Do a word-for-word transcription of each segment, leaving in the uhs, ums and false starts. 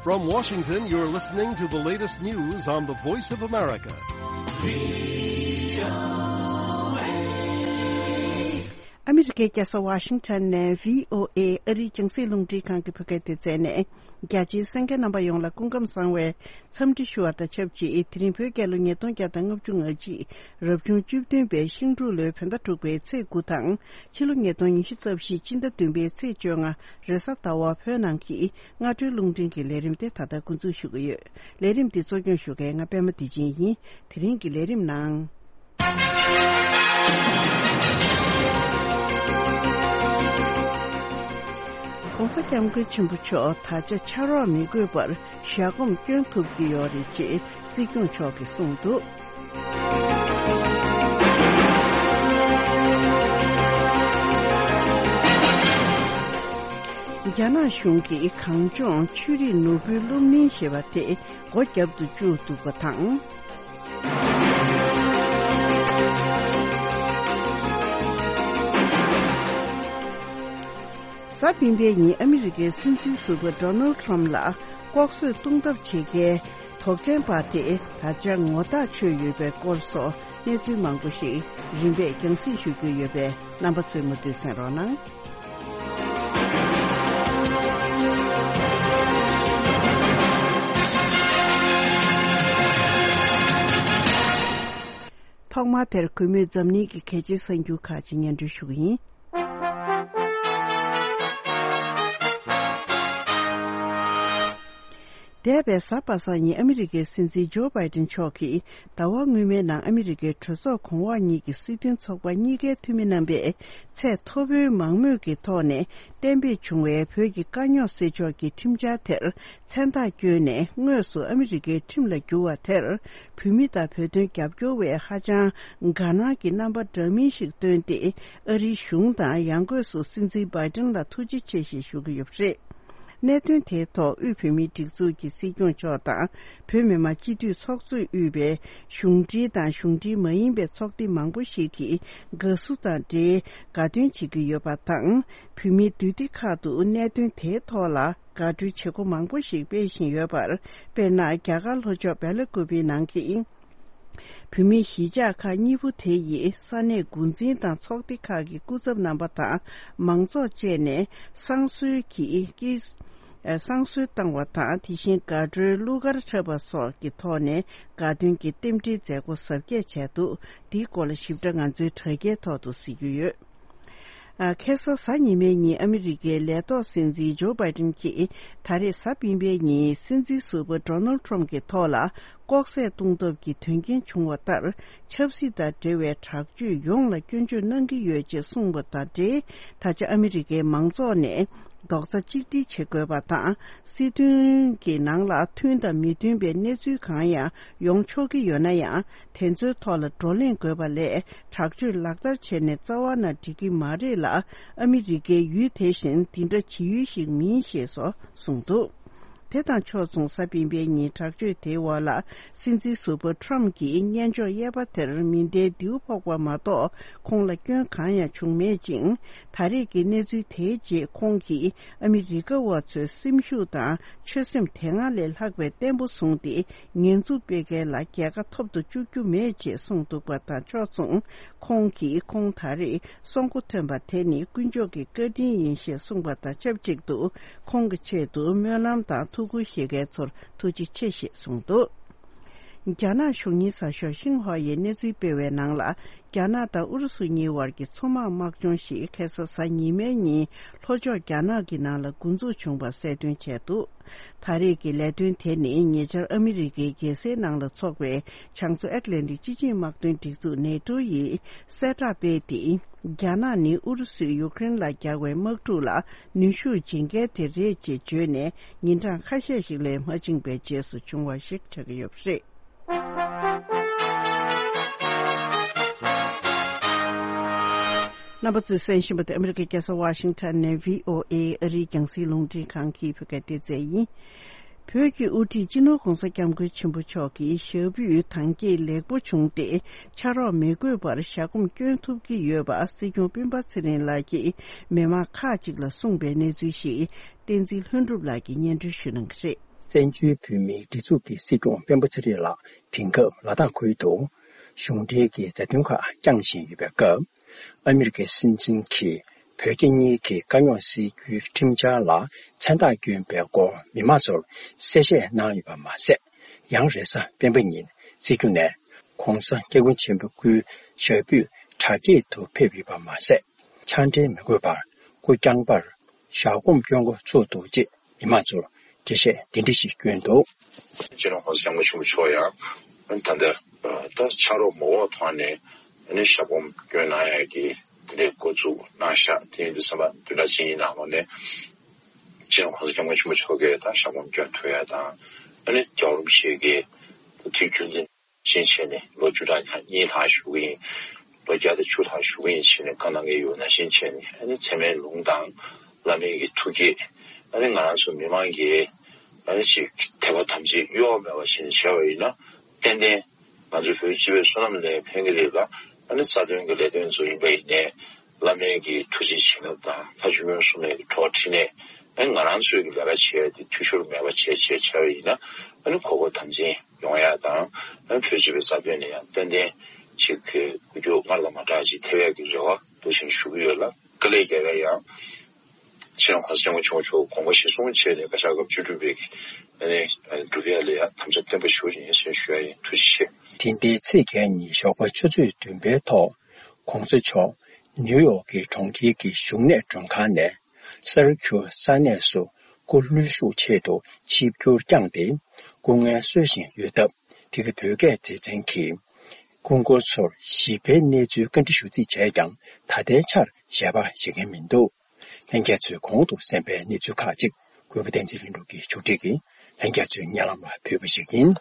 From Washington, you're listening to the latest news on the Voice of America. ཨ་མི་རི་ཀའི་རྒྱལ་ས་ཝ་ཤིང་ཊོན་ནས་བྷི་ཨོ་ཨེ་ཨ་རིའི་རྒྱང་སྲིང་རླུང་འཕྲིན་ཁང་གི་བོད་སྐད་སྡེ་ཚན་ནས། རྒྱ་ཆེའི་གསན་མཁན་རྣམ་པ་ཡོངས་ལ་སྐུ་ཁམས་བཟང་བའི་འཚམས་འདྲི་ཞུ་བ་དང་ཆབས་ཅིག་དེ་རིང་བོད་རྒྱལ་ལོ་ཉིས་སྟོང་བརྒྱ་དང་ལྔ་བཅུ་ང་གཅིག་རབ་བྱུང་བཅུ་བདུན་པའི་ཤིང་འབྲུག་ལོའི་བོད་ཟླ་དྲུག་པའི་ཚེས་དགུ་དང་། ཕྱི་ལོ་ཉིས་སྟོང་ཉི་ཤུ་རྩ་བཞི་སྤྱི་ཟླ་བདུན་པའི་ཚེས་བཅོ་ལྔ་རེས་གཟའ་ཟླ་བ་བོད་ནང་གི་སྔ་དྲོའི་རླུང་འཕྲིན་གྱི་ལས་རིམ་དེ་ད་ལྟ་འགོ་འཛུགས་ཞུ་གི་ཡོད། ལས་རིམ་འདི་གཙོ་སྐྱོང་ཞུ་མཁན་ང་པད་མ་བདེ་ཆེན་ཡིན། དེ་རིང་གི་ལས་རིམ་ནང་། ༸གོང་ས་༸སྐྱབས་མགོན་ཆེན་པོ་མཆོག་ད་ཆ་ཕྱག་རོགས་མི་དགོས་པར་ཞལ་གོམ་སྐྱོན་ཐུབ་ཀྱི་ཡོད་རེད་ཅེས་སྲིད་སྐྱོང་མཆོག་གིས་གསུངས་འདུག་རྒྱ་ནག་གཞུང་གིས་གངས་ལྗོངས་ཆོས་རིག་ནོར་བུའི་སློབ་གླིང་ཞེས་པ་དེ་སྒོ་བརྒྱབ་ཏུ་བཅུག་འདུག་པ་དང་། གཟའ་སྤེན་པའི་ཉིན་ཨ་མི་རི་ཀའི་སྲིད་འཛིན་ཟུར་པ་ཌོ་ནལ་ཁྲོམ་ལ་ལྐོག་གསོད་གཏོང་ཐབས་བྱེད་མཁན་དོགས་ཅན་པ་དེ་ད་ཆ་ངོ་ཐག་ཆོད་ཡོད་པའི་སྐོར་སོགས་གནས་ཚུལ་མང་པོ་ཞིག་རིམ་པས་རྒྱང་སྲིང་ཞུ་རྒྱུ་ཡོད་པས་རྣམ་པ་ཚོས་མུ་མཐུད་གསན་རོགས་གནང་། ཐོག་མར་དེར་གུས་མོས་འཛམ་གླིང་གི་གལ་ཆེའི་གསར་འགྱུར་ཁག་ཅིག་སྙན་སྒྲོན་ཞུ་གི་ཡིན། འདས་པའི་གཟའ་པ་སངས་ཉིན་ཨ་མི་རི་ཀའི་སྲིད་འཛིན་ཇོ་བྷའི་ཏིན་མཆོག་གིས་ཟླ་བ་སྔོན་མའི་ནང་ཨ་མི་རི་ཀའི་གྲོས་ཚོགས་གོང་འོག་གཉིས་ཀྱི་སྲིད་དོན་ཚོགས་པ་གཉིས་ཀའི་འཐུས་མི་རྣམ་པས་ཚད་མཐོ་པོའི་མང་མོས་ཀྱི་ཐོག་ནས་གཏན་འབེབས་བྱུང་བའི་བོད་ཀྱི་དཀའ་རྙོག་སེལ་ཕྱོགས་ཀྱི་ཁྲིམས་འཆར་དེར་མཚན་རྟགས་བསྐྱོན་ནས་དངོས་སུ་ཨ་མི་རི་ཀའི་ཁྲིམས་ལ་བསྒྱུར་བ་དེར། བོད་མི་དང་བོད་དོན་རྒྱབ་སྐྱོར་བས་ཧ་ཅང་དགའ་སྣང་གི་རྣམ་པ་འདྲ་མིན་ཞིག་བཏོན་ཏེ། ཨ་རིའི་གཞུང་དང་ཡང་སྒོས་སུ་སྲིད་འཛིན་བྷའི་ཏིན་ལ་ཐུགས་རྗེ་ཆེ་ཞེས་ཞུ་གི་ཡོད་པ་རེད། གནད་དོན་དེའི་ཐོག་དབུས་བོད་མིའི་སྒྲིག་འཛུགས་ཀྱི་སྲིད་སྐྱོང་མཆོག་དང་བོད་མི་མང་སྤྱི་འཐུས་ཚོགས་གཙོས་དབུས་པའི་གཞུང་འབྲེལ་དང་གཞུང་འབྲེལ་མ་ཡིན་པའི་ཚོགས་སྡེ་མང་པོ་ཞིག་གིས་དགའ་བསུ་དང་འབྲེལ་དགའ་སྟོན་བྱེད་ཀྱི་ཡོད་པ་དང་། བོད་མིའི་འདུས་སྡེ་ཁག་ཏུ་གནད་དོན་དེའི་ཐོག་ལ་དགའ་སྤྲོའི་བྱེད་སྒོ་མང་པོ་ཞིག་སྤེལ་བཞིན་ཡོད་པར། དཔེར་ན། རྒྱ་གར་ལྷོ་ཕྱོགས་སྦེལ་ཀོབ་པི་ནང་གི་བོད་མིའི་གཞིས་ཆགས་ཁག་གཉིས་པོ་དེ་ཡི་ས་གནས་འགོ་འཛིན་དང་ཚོགས་སྡེ་ཁག་གི་སྐུ་ཚབ་རྣམ་པ་དང་མང་ཚོགས་བཅས་ནས་བསང་གསོལ་གྱིས་བསྐྱེད། བསང་གསོལ་བཏང་བ་དང་། དེ་བཞིན་དགའ་སྤྲོའི་གླུ་གར་འཁྲབ་པ་སོགས་ཀྱི་ཐོག་ནས་དགའ་སྟོན་གྱི་རྟེན་འབྲེལ་མཛད་སྒོ་གཟབ་རྒྱས་བྱས་འདུག་འདིའི་སྐོར་ལ་ཞིབ་ཕྲ་ང་ཚོའི་དྲ་རྒྱའི་ཐོག་ཏུ་གཟིགས་རྒྱུ་ཡོད། ཨ། ཁ་སང་གཟའ་ཉི་མའི་ཉིན་ཨ་མི་རི་ཀའི་ལས་ཐོག་སྲིད་འཛིན་ཇོ་བྷའི་ཏིན་གྱིས་ད་རེས་གཟའ་སྤེན་པའི་ཉིན་སྲིད་འཛིན་ཟུར་པ་ཌོ་ནལ་ཁྲོམ་གྱི་ཐོག་ལ་ལྐོག་ཟ་གཏོང་ཐབས་ཀྱི་དོན་རྐྱེན་བྱུང་བ་ལྟར། ཆབ་སྲིད་དང་འབྲེལ་བའི་དྲག་སྤྱོད་ཡོངས་ལ་སྐྱོན་བརྗོད་གནང་གི་ཡོད་ཅེས་གསུངས་པ་དང་འབྲེལ། ད་ཆ་ཨ་མི་རི་ཀའི་མང་ཚོགས་ནས་རྡོག་རྩ་གཅིག་སྒྲིལ་བྱེད་དགོས་པ་དང་། སྲིད་དོན་གྱི་ནང་ལ་མཐུན་དང་མི་མཐུན་པའི་གནས་ཚུལ་གང་ཡང་ཡོང་ཆོག་གི་ཡོད་ན་ཡང་། དེ་ཚོའི་ཐོག་ལ་བགྲོ་གླེང་དགོས་པ་ལས། དྲག་སྤྱོད་ལག་བསྟར་བྱས་ནས་རྩ་བ་ནས་འགྲིག་གི་མ་རེད་ལ། ཨ་མི་རི་ཀའི་ཡུལ་དེ་བཞིན་འདི་འདྲ་བྱེད་ཡུལ་ཞིག་མིན་ཞེས་སོགས་གསུངས་འདུག་དེ་དང་ཕྱོགས་མཚུངས་གཟའ་སྤེན་པའི་ཉིན་དྲག་སྤྱོད་དེའི་འོག་ལ་སྲིད་འཛིན་ཟུར་པ་ཁྲོམ་གྱིས་སྙན་ཕྱོགས་གཡས་པ་དེར་མེ་མདའི་མདེའུ་ཕོག་པ་མ་གཏོགས་ཁོང་ལ་སྐྱོན་གང་ཡང་བྱུང་མེད་ཅིང་། ད་རེས་ཀྱི་གནས་ཚུལ་དེའི་རྗེས་ཁོང་གིས་ཨ་མི་རི་ཀ་བ་ཚོའི་སེམས་ཤུགས་དང་ཆོད་སེམས་དེ་སྔ་ལས་ལྷག་པའི་བརྟན་པོ་བཟུང་སྟེ། ཉེས་འཛུགས་སྤེལ་མཁན་ལ་རྒྱལ་ཁ་ཐོབ་ཏུ་བཅུག་རྒྱུ་མེད་ཅེས་གསུངས་འདུག་པ་དང་ཕྱོགས་མཚུངས། ཁོང་གིས་ཁོང་ད་རེས་སྲོག་མགོ་ཐོན་པ་དེ་ནི་དཀོན་མཆོག་གི་བཀའ་དྲིན་ཡིན་ཞེས་གསུངས་པ་དང་ཆབས་ཅིག་ཏུ། ཁོང་གི་ཆེད་དུ་སྨོན་ལམ་དང་ཐུགས་ཁུར་བཞེས་མཁན་ཚོར་ཐུགས་རྗེ་ཆེ་ཞེས་གསུངས་འདུག་རྒྱ་ནག་གཞུང་གཉེར་གསར་ཤོག་ཤིན་ཧྭ་ཡིས་གནས་ཚུལ་སྤེལ་བའི་ནང་ལ། རྒྱ་ནག་དང་ཨུ་རུ་སུ་གཉིས་བར་གྱི་མཚོ་དམག་དམག་སྦྱོང་ཞིག་ཁ་སང་གཟའ་ཉི་མའི་ཉིན་ལྷོ་ཕྱོགས་རྒྱ་ནག་གི་ནང་ལ་འགོ་འཛུགས་བྱུང་བ་གསལ་སྟོན་བྱས་འདུག་ད་རེས་ཀྱི་ལས་དོན་དེ་ནི་ཉེ་ཆར་ཨ་མི་རི་ཀའི་རྒྱལ་སའི་ནང་ལ་འཚོགས་པའི་བྱང་མཚོ་ཨེཊ་ལན་ཊིག་སྤྱི་ཆིངས་དམག་དོན་སྒྲིག་འཛུགས་ནེ་ཏོ་ཡིས་གསལ་བསྒྲགས་སྤེལ་ཏེ། རྒྱ་ནག་ནི་ཨུ་རུ་སུས་ཡུཀ་རེན་ལ་རྒྱག་པའི་དམག་འཁྲུག་ལ་ནུས་ཤུགས་སྦྱིན་མཁན་དེ་རེད་ཅེས་བརྗོད་ནས། ཉིན་གྲངས་ཁ་ཤས་ཤིག་ལས་མ་ཕྱིན་པའི་རྗེས་སུ་བྱུང་བ་ཞིག་ཆགས་ཀྱི་ཡོད་པ་རེད། རྣམ་པ་ཚོས་གསན་བཞིན་པ་དེ་ཨ་མི་རི་ཀའི་རྒྱལ་ས་ཝ་ཤིང་ཊོན་ནས་བྷི་ཨོ་ཨེ་ཨ་རིའི་རྒྱང་སྲིང་རླུང་འཕྲིན་ཁང་གི་བོད་སྐད་སྡེ་ཚན་ཡིན། བོད་ཀྱི་དབུ་ཁྲིད་སྤྱི་ནོར་༸གོང་ས་༸སྐྱབས་མགོན་ཆེན་པོ་མཆོག་གིས་ཞབས་པུས་དྭངས་སྐྱེད་ལེགས་པོ་བྱུང་སྟེ། ཕྱག་རོགས་མི་དགོས་པར་ཞལ་གོམ་སྐྱོན་ཐུབ་ཀྱི་ཡོད་པ་སྲིད་སྐྱོང་སྤེན་པ་ཚེ་རིང་ལགས་ཀྱིས་མི་མང་ཁག་ཅིག་ལ་གསུངས་པའི་གནས་ཚུལ་ཞིག་བསྟན་འཛིན་ལྷུན་གྲུབ་ལགས་ཀྱིས་སྙན་སྒྲོན་ཞུ་གནང་གི་རེད། བཙན་བྱོལ་བོད་མིའི་སྒྲིག་འཛུགས་ཀྱི་སྲིད་སྐྱོང་སྤེན་པ་ཚེ་རིང་ལགས་དེང་སྐབས་ལ་དྭགས་ཁུལ་དུ་གཞུང་འབྲེལ་གྱི་མཛའ་མཐུན་ཁག་བསྐྱངས་བཞིན་ཡོད་པའི་སྐབས། ཨ་མི་རི་ཀའི་སྲིད་འཛིན་གྱིས་བོད་རྒྱ་གཉིས་ཀྱི་དཀའ་རྙོག་སེལ་རྒྱུའི་ཁྲིམས་འཆར་ལ་མཚན་རྟགས་བསྐྱོན་པའི་སྐོར་མི་མང་ཚོར་གསལ་བཤད་གནང་ཡོད་པ་མ་ཟད། ཡང་རེས་གཟའ་སྤེན་པ་ཉིན་སྲིད་སྐྱོང་ནས་༧གོང་ས་༧སྐྱབས་མགོན་ཆེན་པོ་སྐུའི་ཞབས་པུས་གྲ་སྒྲིག་ཏུ་ཕེབས་ཡོད་པ་མ་ཟད། ཕྱག་འབྲེལ་མི་དགོས་པར་སྐུ་བརྐྱངས་པར་ཞལ་སྒོམ་སྐྱོན་འགོ་ཚུགས་འདུག་ཅེས་མི་མང་ཚོར་འགྲེལ་བཤད་འདི་འདྲ་ཞིག་བསྐྱོན་འདུག་སྤྱི་ནོར་༧གོང་ས་༧སྐྱབས་མགོན་ཆེན་པོ་མཆོག་ཡང་ད་ལྟ་ད་ཕྱག་རོགས་མ་འོག་ཐོག་ནས་ཞལ་སྒོམ་སྐྱོན་གནང་ཡག་གི་དེ་འདྲའི་འགོ་འཛུགས་གནང་ཤག་དེ་ཡིན་དུས་ཙམ་པ་བདུན་ཕྲག་གཅིག་གཉིས་ནང་ལོགས་ནས་སྤྱི་ནོར་༧གོང་ས་༧སྐྱབས་མགོན་ཆེན་པོ་མཆོག་གིས་ད་ཞལ་སྒོམ་སྐྱོན་ཐུབ་ཡག་དང་། ཨ་ནི་རྒྱལ་བ་རིན་པོ་ཆེ་གིས་དུས་རྒྱུན་དུ་ཞིང་ཆེན་ནས་ལོ་བཅུ་ཕྲག་གཉིས་ལྷག་བཞུགས་ཀྱི་ཡིན། ལོ་བརྒྱ་དང་བཅུ་ལྷག་བཞུགས་ཀྱི་ཡིན་ཞེས་ནས་བཀའ་གནང་གི་ཡོད་ན་བཞིན་བྱས་ནས། ཨ་ནི་ཚད་མའི་ལུང་དང་བླ་མའི་གི་ཐུགས་བསྐྱེད། ཨ་ནི་ང་རང་ཚོ་མི་མང་གིས་ཨ་ནི་ཅིག་དད་པ་དམ་ཚིག་གཡོ་བ་མེད་པ་བྱས་ནས་བྱས་པ་ཡིན་ན། ཏན་ཏན་ང་ཚོའི་བོད་སྤྱི་པའི་བསོད་ནམས་ལ་ཕན་གྱི་རེད་ལ། ཨ་ནི་རྩ་དོན་གྱི་ལས་དོན་ཚོ་ཡིན་པ་ཡིན་ནའི། བླ་མའི་གི་ཐུགས་རྗེ་བྱིན་རླབས་དང་ལྷ་ཆོས་སྐྱོང་སྲུང་མའི་གི་གྲོགས་འཕྲིན་ལས། ཨ་ནི་ང་རང་ཚོའི་གི་ལས་ཀ་བྱེད་ཡ་དེ་འཐུས་ཤོར་མེད་པ་བྱས་བྱས་བྱས་པ་ཡིན་ན། ཨ་ནི་གོ་སྐབས་དམ་འཛིན་ཡོང་ཡ་དང་། ཨ་ནི་བོད་སྤྱི་པའི་རྩ་དོན་ལ་ཡང་ཏན་ཏན་ཅིག་གི་འགུལ་སྐྱོད་སྔར་དང་མ་འདྲ་ཅིག་ཐེབས་ཡ་གི་རེ་བ་འདུག་སེ་ཞུ་གི་ཡོད་ལ། དཀའ་ལས་རྒྱག་ཡ་ཡང་། སྤྱི་ནོར་༧གོང་ས་༧སྐྱབས་མགོན་ཆེན་པོ་མཆོག་དགོངས་པ་གཞིར་བཟུང་བྱས་ནས་བཀའ་ཤག་སྐབས་བཅུ་དྲུག་པའི་གི་ཨ་ནི་སྒྲུབ་ཡ་ལ་ཡང་དམ་བཅའ་བརྟན་པོ་ཞུ་བཞིན་ཡིན་ཞེས་ཞུ་ཡ་ཡིན། ཐུགས་རྗེ་ཆེ། དེ་ཟླའི་ཚེས་བརྒྱད་ཉིན་ཞོགས་པ་ཆུ་ཚོད་བདུན་པའི་ཐོག་༧གོང་ས་མཆོག་ནིའུ་ཡོག་གི་གྲོང་ཁྱེར་གྱི་བཞུགས་གནས་མགྲོན་ཁང་ནས་སཱ་རི་ཁུ་ས་གནས་སུ་སྐུ་ལྷོད་བཞུགས་ཆེད་དུ་ཆིབས་བསྒྱུར་བསྐྱངས་ཏེ་སྐུ་ངལ་གསོ་བཞིན་ཡོད་སྟབས། དེ་གའི་བོད་སྐད་སྡེ་ཚན་གྱིས་སྐུ་འཁོར་ཚོར་ཞིབ་ཕྲའི་གནས་ཚུལ་བཀའ་འདྲི་ཞུ་རྩིས་བྱས་ཀྱང་། ད་ལྟའི་ཆར་ཞལ་པར་བཞེས་མཁན་མི་འདུག་ལྷན་རྒྱས་ཚོས་གོང་དུ་གསན་པའི་གནས་ཚུལ་ཁག་ཅིག་གུས་པ་བསྟན་འཛིན་ལྷུན་གྲུབ་ཀྱིས་ཕྱོགས་སྒྲིག་གིས་ལྷན་རྒྱས་ཚོའི་སྙན་ལམ་ལ་ཕུལ་བ་ཞིག་ཡིན།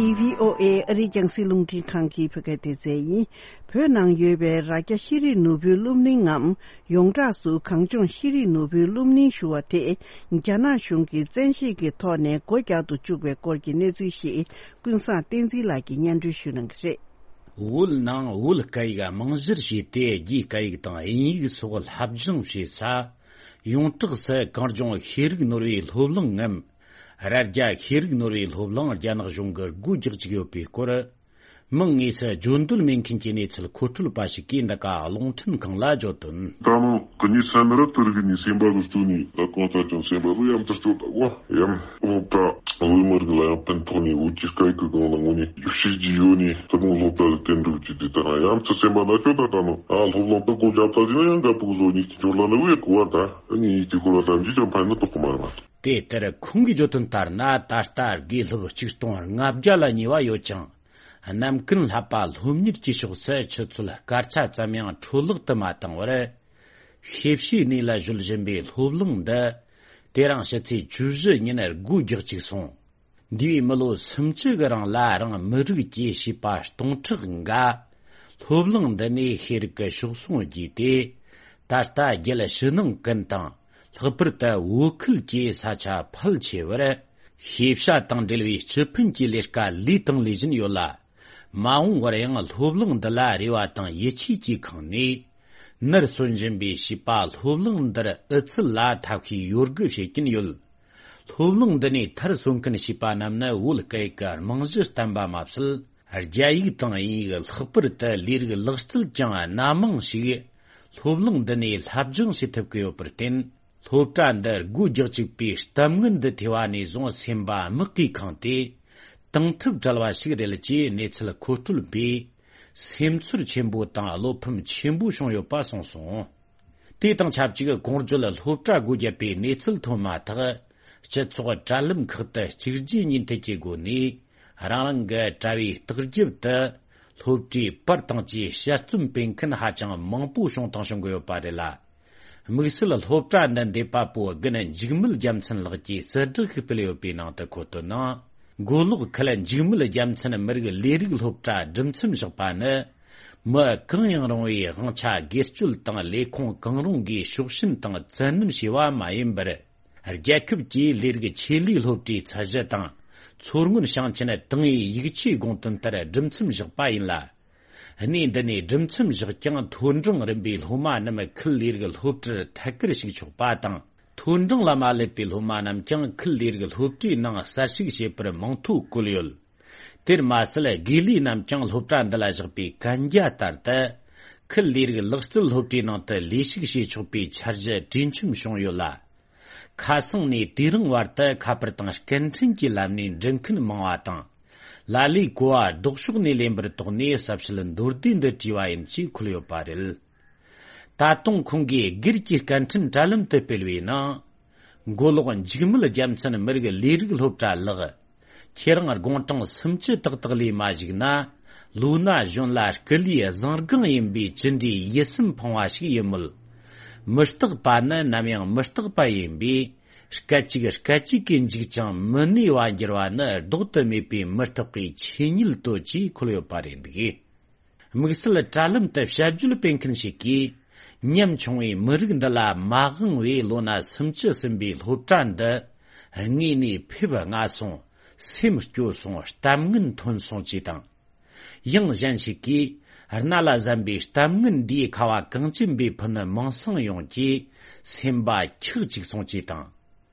འདི་བྷི་ཨོ་ཨེ་ཨ་རིའི་རྒྱང་སྲིང་རླུང་འཕྲིན་ཁང་གི་བོད་སྐད་སྡེ་ཚན་ཡིན། བོད་ནང་ཡོད་པའི་རྭ་རྒྱ་ཤེས་རིག་ནོར་བུའི་སློབ་གླིང་ངམ། ཡོངས་གྲགས་སུ་གངས་ལྗོངས་ཤེས་རིག་ནོར་བུའི་སློབ་གླིང་ཞུ་བ་དེ། རྒྱ་ནག་གཞུང་གིས་བཙན་ཤེད་ཀྱི་ཐོག་ནས་སྒོ་རྒྱག་ཏུ་བཅུག་པའི་སྐོར་གྱི་གནས་ཚུལ་ཞིག་ཀུན་བཟང་བསྟན་འཛིན་ལགས་ཀྱིས་སྙན་སྒྲོན་ཞུ་གནང་གི་རེད། བོད་ནང་བོད་སྐད་ཡིག་རྨང་གཞིར་བྱས་ཏེ། རྒྱའི་སྐད་ཡིག་དང་དབྱིན་ཡིག་སོགས་སློབ་སྦྱོང་བྱེད་ས། ཡོངས་གྲགས་སུ་གངས་ལྗོངས་ཤེས་རིག་ནོར་བུའི་སློབ་གླིང་ངམ། རྭ་རྒྱ་ཤེས་རིག་ནོར་བུའི་སློབ་གླིང་རྒྱ་ནག་གཞུང་གིས་སྒོ་རྒྱག་བཅུག་ཡོད་པའི་སྐོར། མིང་དངོས་སུ་བརྗོད་འདོད་མེད་མཁན་གྱི་གནས་ཚུལ་མཁོ་སྤྲོད་པ་ཞིག་གིས་འདི་ག་རླུང་འཕྲིན་ཁང་ལ་བརྗོད་དོན། ད་ནི་གི་ནི་སེམས་རབ་ཏུ་རིག་ནི་སེམས་པ་གི་སྟོད་ནི་ད་གང་ལྟར་ཀྱང་སེམས་པ་ལ་ཡང་དུ་སྟོད་ད་བ་ཡང་སློབ་གྲྭ་བོད་མི་རིགས་ལ་ཡང་ཕན་ཐོགས་ནི་བོད་ཀྱི་སྐད་ཀྱི་སྒང་ལ་ངོ་ནས་ཞིབ་བཤེར་གྱི་ཡོད་ནི་དུ་མོ་སློབ་གྲྭ་ལ་བསྟན་འགྲུབ་ཀྱི་དེ་ལྟར་ཡང་དུ་སེམས་པ་ན་ཆོད་ད་ད་ནི་ཨ་སློབ་ལོང་ད་གོ་རྒྱབ་ད་ཟིན་ན་ཡང་འགབ་གི་བཟོ་ནི་ཅི་འབྱོར་ལ་ནི་བས་གོ་བ་ད་ཨ་ནི་ཡིད་ཀྱི་འཁོར་བ་ཐམས་ཅད་ཀྱང་ཕན་ནི་དོགས་གི་མ་རེད་པ། དེ་ལྟར་ཁོང་གིས་བརྗོད་དོན་ལྟར་ན། ད་ལྟ་དགེ་སློབ་ཆིག་སྟོང་ལྔ་བརྒྱ་ལ་ཉེ་བ་ཡོད་ཅིང་། རྣམ་ཀུན་བསླབ་པ་སློབ་གཉེར་གྱི་ཕྱོགས་སུ་ཆུ་ཚོད་སྐར་ཆ་ཙམ་ཡང་འཕྲོ་བརླག་ཏུ་མ་བཏང་བར། ཤེས་བྱའི་གནས་ལ་གཞོལ་བཞིན་པའི་སློབ་གླིང་འདི། དེ་རིང་ཕྱི་ཚེས་བཅུ་བཞི་ཉིན་སྒོ་རྒྱག་བཅུག་སོང་། འདས་པའི་མི་ལོ་སུམ་ཅུ་གི་རིང་ལ་རང་མི་རིགས་ཀྱི་བྱིས་པ་སྟོང་ཕྲག་འགའ། སློབ་གླིང་འདི་ནས་ཤེས་རིག་གི་གཤོག་ཟུང་རྒྱས་ཏེ། ད་ལྟ་རྒྱལ་ཕྱི་ནང་ཀུན་དང་། ལྷག་པར་དུ་བོད་ཁུལ་གྱི་ས་ཆ་ཕལ་ཆེ་བར་ཤེས་བྱ་དང་འབྲེལ་བའི་སྤྱི་ཕན་གྱི་ལས་ཀ་ལས་དང་ལས་བཞིན་ཡོད་ལ། མ་འོངས་བར་ཡང་སློབ་གླིང་འདི་ལ་རེ་བ་དང་ཡིད་ཆེས་ཀྱིས་ཁེངས་ནས། ནར་སོན་བཞིན་པའི་བྱིས་པ་སློབ་གླིང་འདིར་ཨུ་ཚུགས་ལ་ཐབས་ཤེས་ཡོད་དགུ་བྱེད་ཀྱིན་ཡོད། སློབ་གླིང་འདི་ནས་མཐར་སོན་མཁན་བྱིས་པ་རྣམས་ནི་བོད་སྐད་ཀྱི་རྨང་གཞི་བརྟན་པ་མ་ཟད། རྒྱ་ཡིག་དང་དབྱིན་ཡིག་ལྷག་པར་དུ་ལས་རིགས་ལག་རྩལ་ཀྱང་སྣ་མང་ཞིག་སློབ་གླིང་འདི་ནས་སློབ་སྦྱོང་བྱེད་ཐུབ་ཀྱི་ཡོད་པར་བརྟེན། སློབ་གྲྭ་འདི་སྒོ་རྒྱག་བཅུག་པའི་གཏམ་ངན་འདི་ཐོས་པ་ནས་བཟུང་སེམས་པ་མིག་གིས་ཁེངས་ཏེ། དང་ཐུག་བྲལ་བ་ཞིག་རེད་ཅེས་གནས་ཚུལ་མཁོ་སྤྲོད་པས་སེམས་ཚོར་ཆེན་པོ་དང་བློ་ཕམ་ཆེན་པོ་བྱུང་ཡོད་པ་གསུངས་སོང་། དེ་དང་ཆབས་ཅིག་གོང་བརྗོད་སློབ་གྲྭ་སྒོ་བརྒྱབ་པའི་གནས་ཚུལ་ཐོན་མ་ཐག་སྤྱི་ཚོགས་དྲ་ལམ་ཁག་ཏུ་གཅིག་རྗེས་གཉིས་མཐུད་ཀྱི་སྒོ་ནས་རང་རང་གི་དྲ་བའི་ལྟག་རྒྱབ་ཏུ་སློབ་གྲྭའི་པར་དང་བཅས་དཔྱད་རྩོམ་སྤེལ་མཁན་ཧ་ཅང་མང་པོ་བྱུང་དང་བྱུང་གི་ཡོད་པ་རེད་ལ། དམིགས་བསལ་སློབ་གྲྭ་འདི་འདེབས་པ་པོ་རྒན་འཇིགས་མེད་རྒྱལ་མཚན་ལགས་ཀྱིས་གསལ་བསྒྲགས་ཤིག་སྤེལ་ཡོད་པའི་ནང་དུ་འཁོད་དོན་ནང་། མགོ་ལོག་ཁུལ་འཇིགས་མེད་རྒྱལ་མཚན་མི་རིགས་ལས་རིགས་སློབ་གྲྭ་སྒྲུབ་མཚམས་བཞག་པ་ནི། མི་གང་ཡང་རུང་བའི་དབང་ཆ་སྒེར་གཅོད་དང་ལས་ཁུངས་གང་རུང་གིས་ཕྱོགས་ཞེན་དང་བཙན་གནོན་བྱས་པ་མ་ཡིན་པར། རྒྱལ་ཁབ་ཀྱི་ལས་རིགས་ཆེད་ལས་སློབ་གྲྭའི་ཚད་གཞི་དང་ མཚོ་སྔོན་ཞིང་ཆེན་ཏང་ཨུའི་ཡིག་ཆའི་དགོངས་དོན་ལྟར་སྒྲུབ་མཚམས་བཞག་པ་ཡིན་ལ། གནས་འདི་ནས་སྒྲུབ་མཚམས་བཞག་ཀྱང་མཐོ་འབྲིང་རིམ་པའི་སློབ་མ་རྣམས་ཁུལ་ལས་རིགས་སློབ་གྲྭར་ཐད་ཀར་ཞུགས་ཆོག་པ་དང་། མཐོ་འབྲིང་ལ་མ་སླེབས་པའི་སློབ་མ་རྣམས་ཀྱང་ཁུལ་ལས་རིགས་སློབ་གྲྭའི་ནང་གསར་ཞུགས་བྱེད་པར་མིང་ཐོ་བཀོད་ཡོད། དེར་མ་ཟད་དགེ་ལས་རྣམས་ཀྱང་སློབ་གྲྭ་འདི་ལ་བཞག་པའི་གན་རྒྱ་ལྟར་དུ། ཁུལ་ལས་རིགས་ལག་རྩལ་སློབ་གྲྭའི་ནང་དུ་ལས་ཞུགས་བྱེད་ཆོག་པའི་འཆར་གཞི་གྲོས་འཆམ་བྱུང་ཡོད་ལ། ཁ་སང་ནས་དེ་རིང་བར་དུ་ཁ་པར་དང་སྐད་འཕྲིན་གྱི་ལམ་ནས་འགྲུལ་མཁན་མང་བ་དང་། ལ་ལས་གོ་བ་ལྡོག་ཕྱོགས་ནས་ལེན་པར་དོགས་ནས་གསལ་བཤད་མདོར་བསྡུས་འདི་བྲིས་པ་ཡིན་ཞེས་འཁོད་ཡོད་པ་རེད། ད་དུང་ཁོང་གིས་སྒེར་གྱི་སྐད་འཕྲིན་དྲ་ལམ་དུ་སྤེལ་བའི་ནང་། མགོ་ལོག་འཇིགས་མེད་རྒྱལ་མཚན་མི་རིགས་ལས་རིགས་སློབ་གྲྭ་ལགས། ཁྱེད་རང་དགུང་གྲངས་སུམ་ཅུ་ཏག་ཏག་ལས་མ་བཞུགས་ན། ལོ་ན་གཞོན་ལ་སྐུ་ལུས་བཟང་སྒང་ཡིན་པའི་ཅི་འདྲའི་ཡིད་སེམས་ཕངས་པ་ཞིག་ཡིན་མོད། མི་རྟག་པ་ནི་ནམ་ཡང་མི་རྟག་པ་ཡིན་པས། སྐད་ཅིག་སྐད་ཅིག་གིས་འཇིག་ཅིང་མི་གནས་པ་འགྱུར་བ་ནི་ལྡོག་ཏུ་མེད་པའི་མི་རྟག་པའི་ཆོས་ཉིད་དོ་ཅེས་འཁོད་ཡོད་པ་རེད་འདུག་དམིགས་བསལ་དྲ་ལམ་དུ་དཔྱད་བརྗོད་སྤེལ་མཁན་ཞིག་གིས། ཉམ་ཆུང་བའི་མི་རིགས་འདི་ལ་མ་དབང་བའི་ལོ་ན་སུམ་ཅུ་ཟིན་པའི་སློབ་གྲྭ་འདི་དངོས་གནས་ཕེབས་སྔ་སོང་། སེམས་སྐྱོ་སོང་། གཏམ་ངན་ཐོན་སོང་ཅེས་དང་། ཡང་གཞན་ཞིག་གིས། རྣ་ལ་གཟན་པའི་གཏམ་ངན་འདིའི་ཁ་བ་གངས་ཅན་པའི་ཕུ་ནུ་མིང་སྲིང་ཡོངས་ཀྱི་སེམས་པ་འཁྱག་ཅིག་སོང་ཅེས་དང་།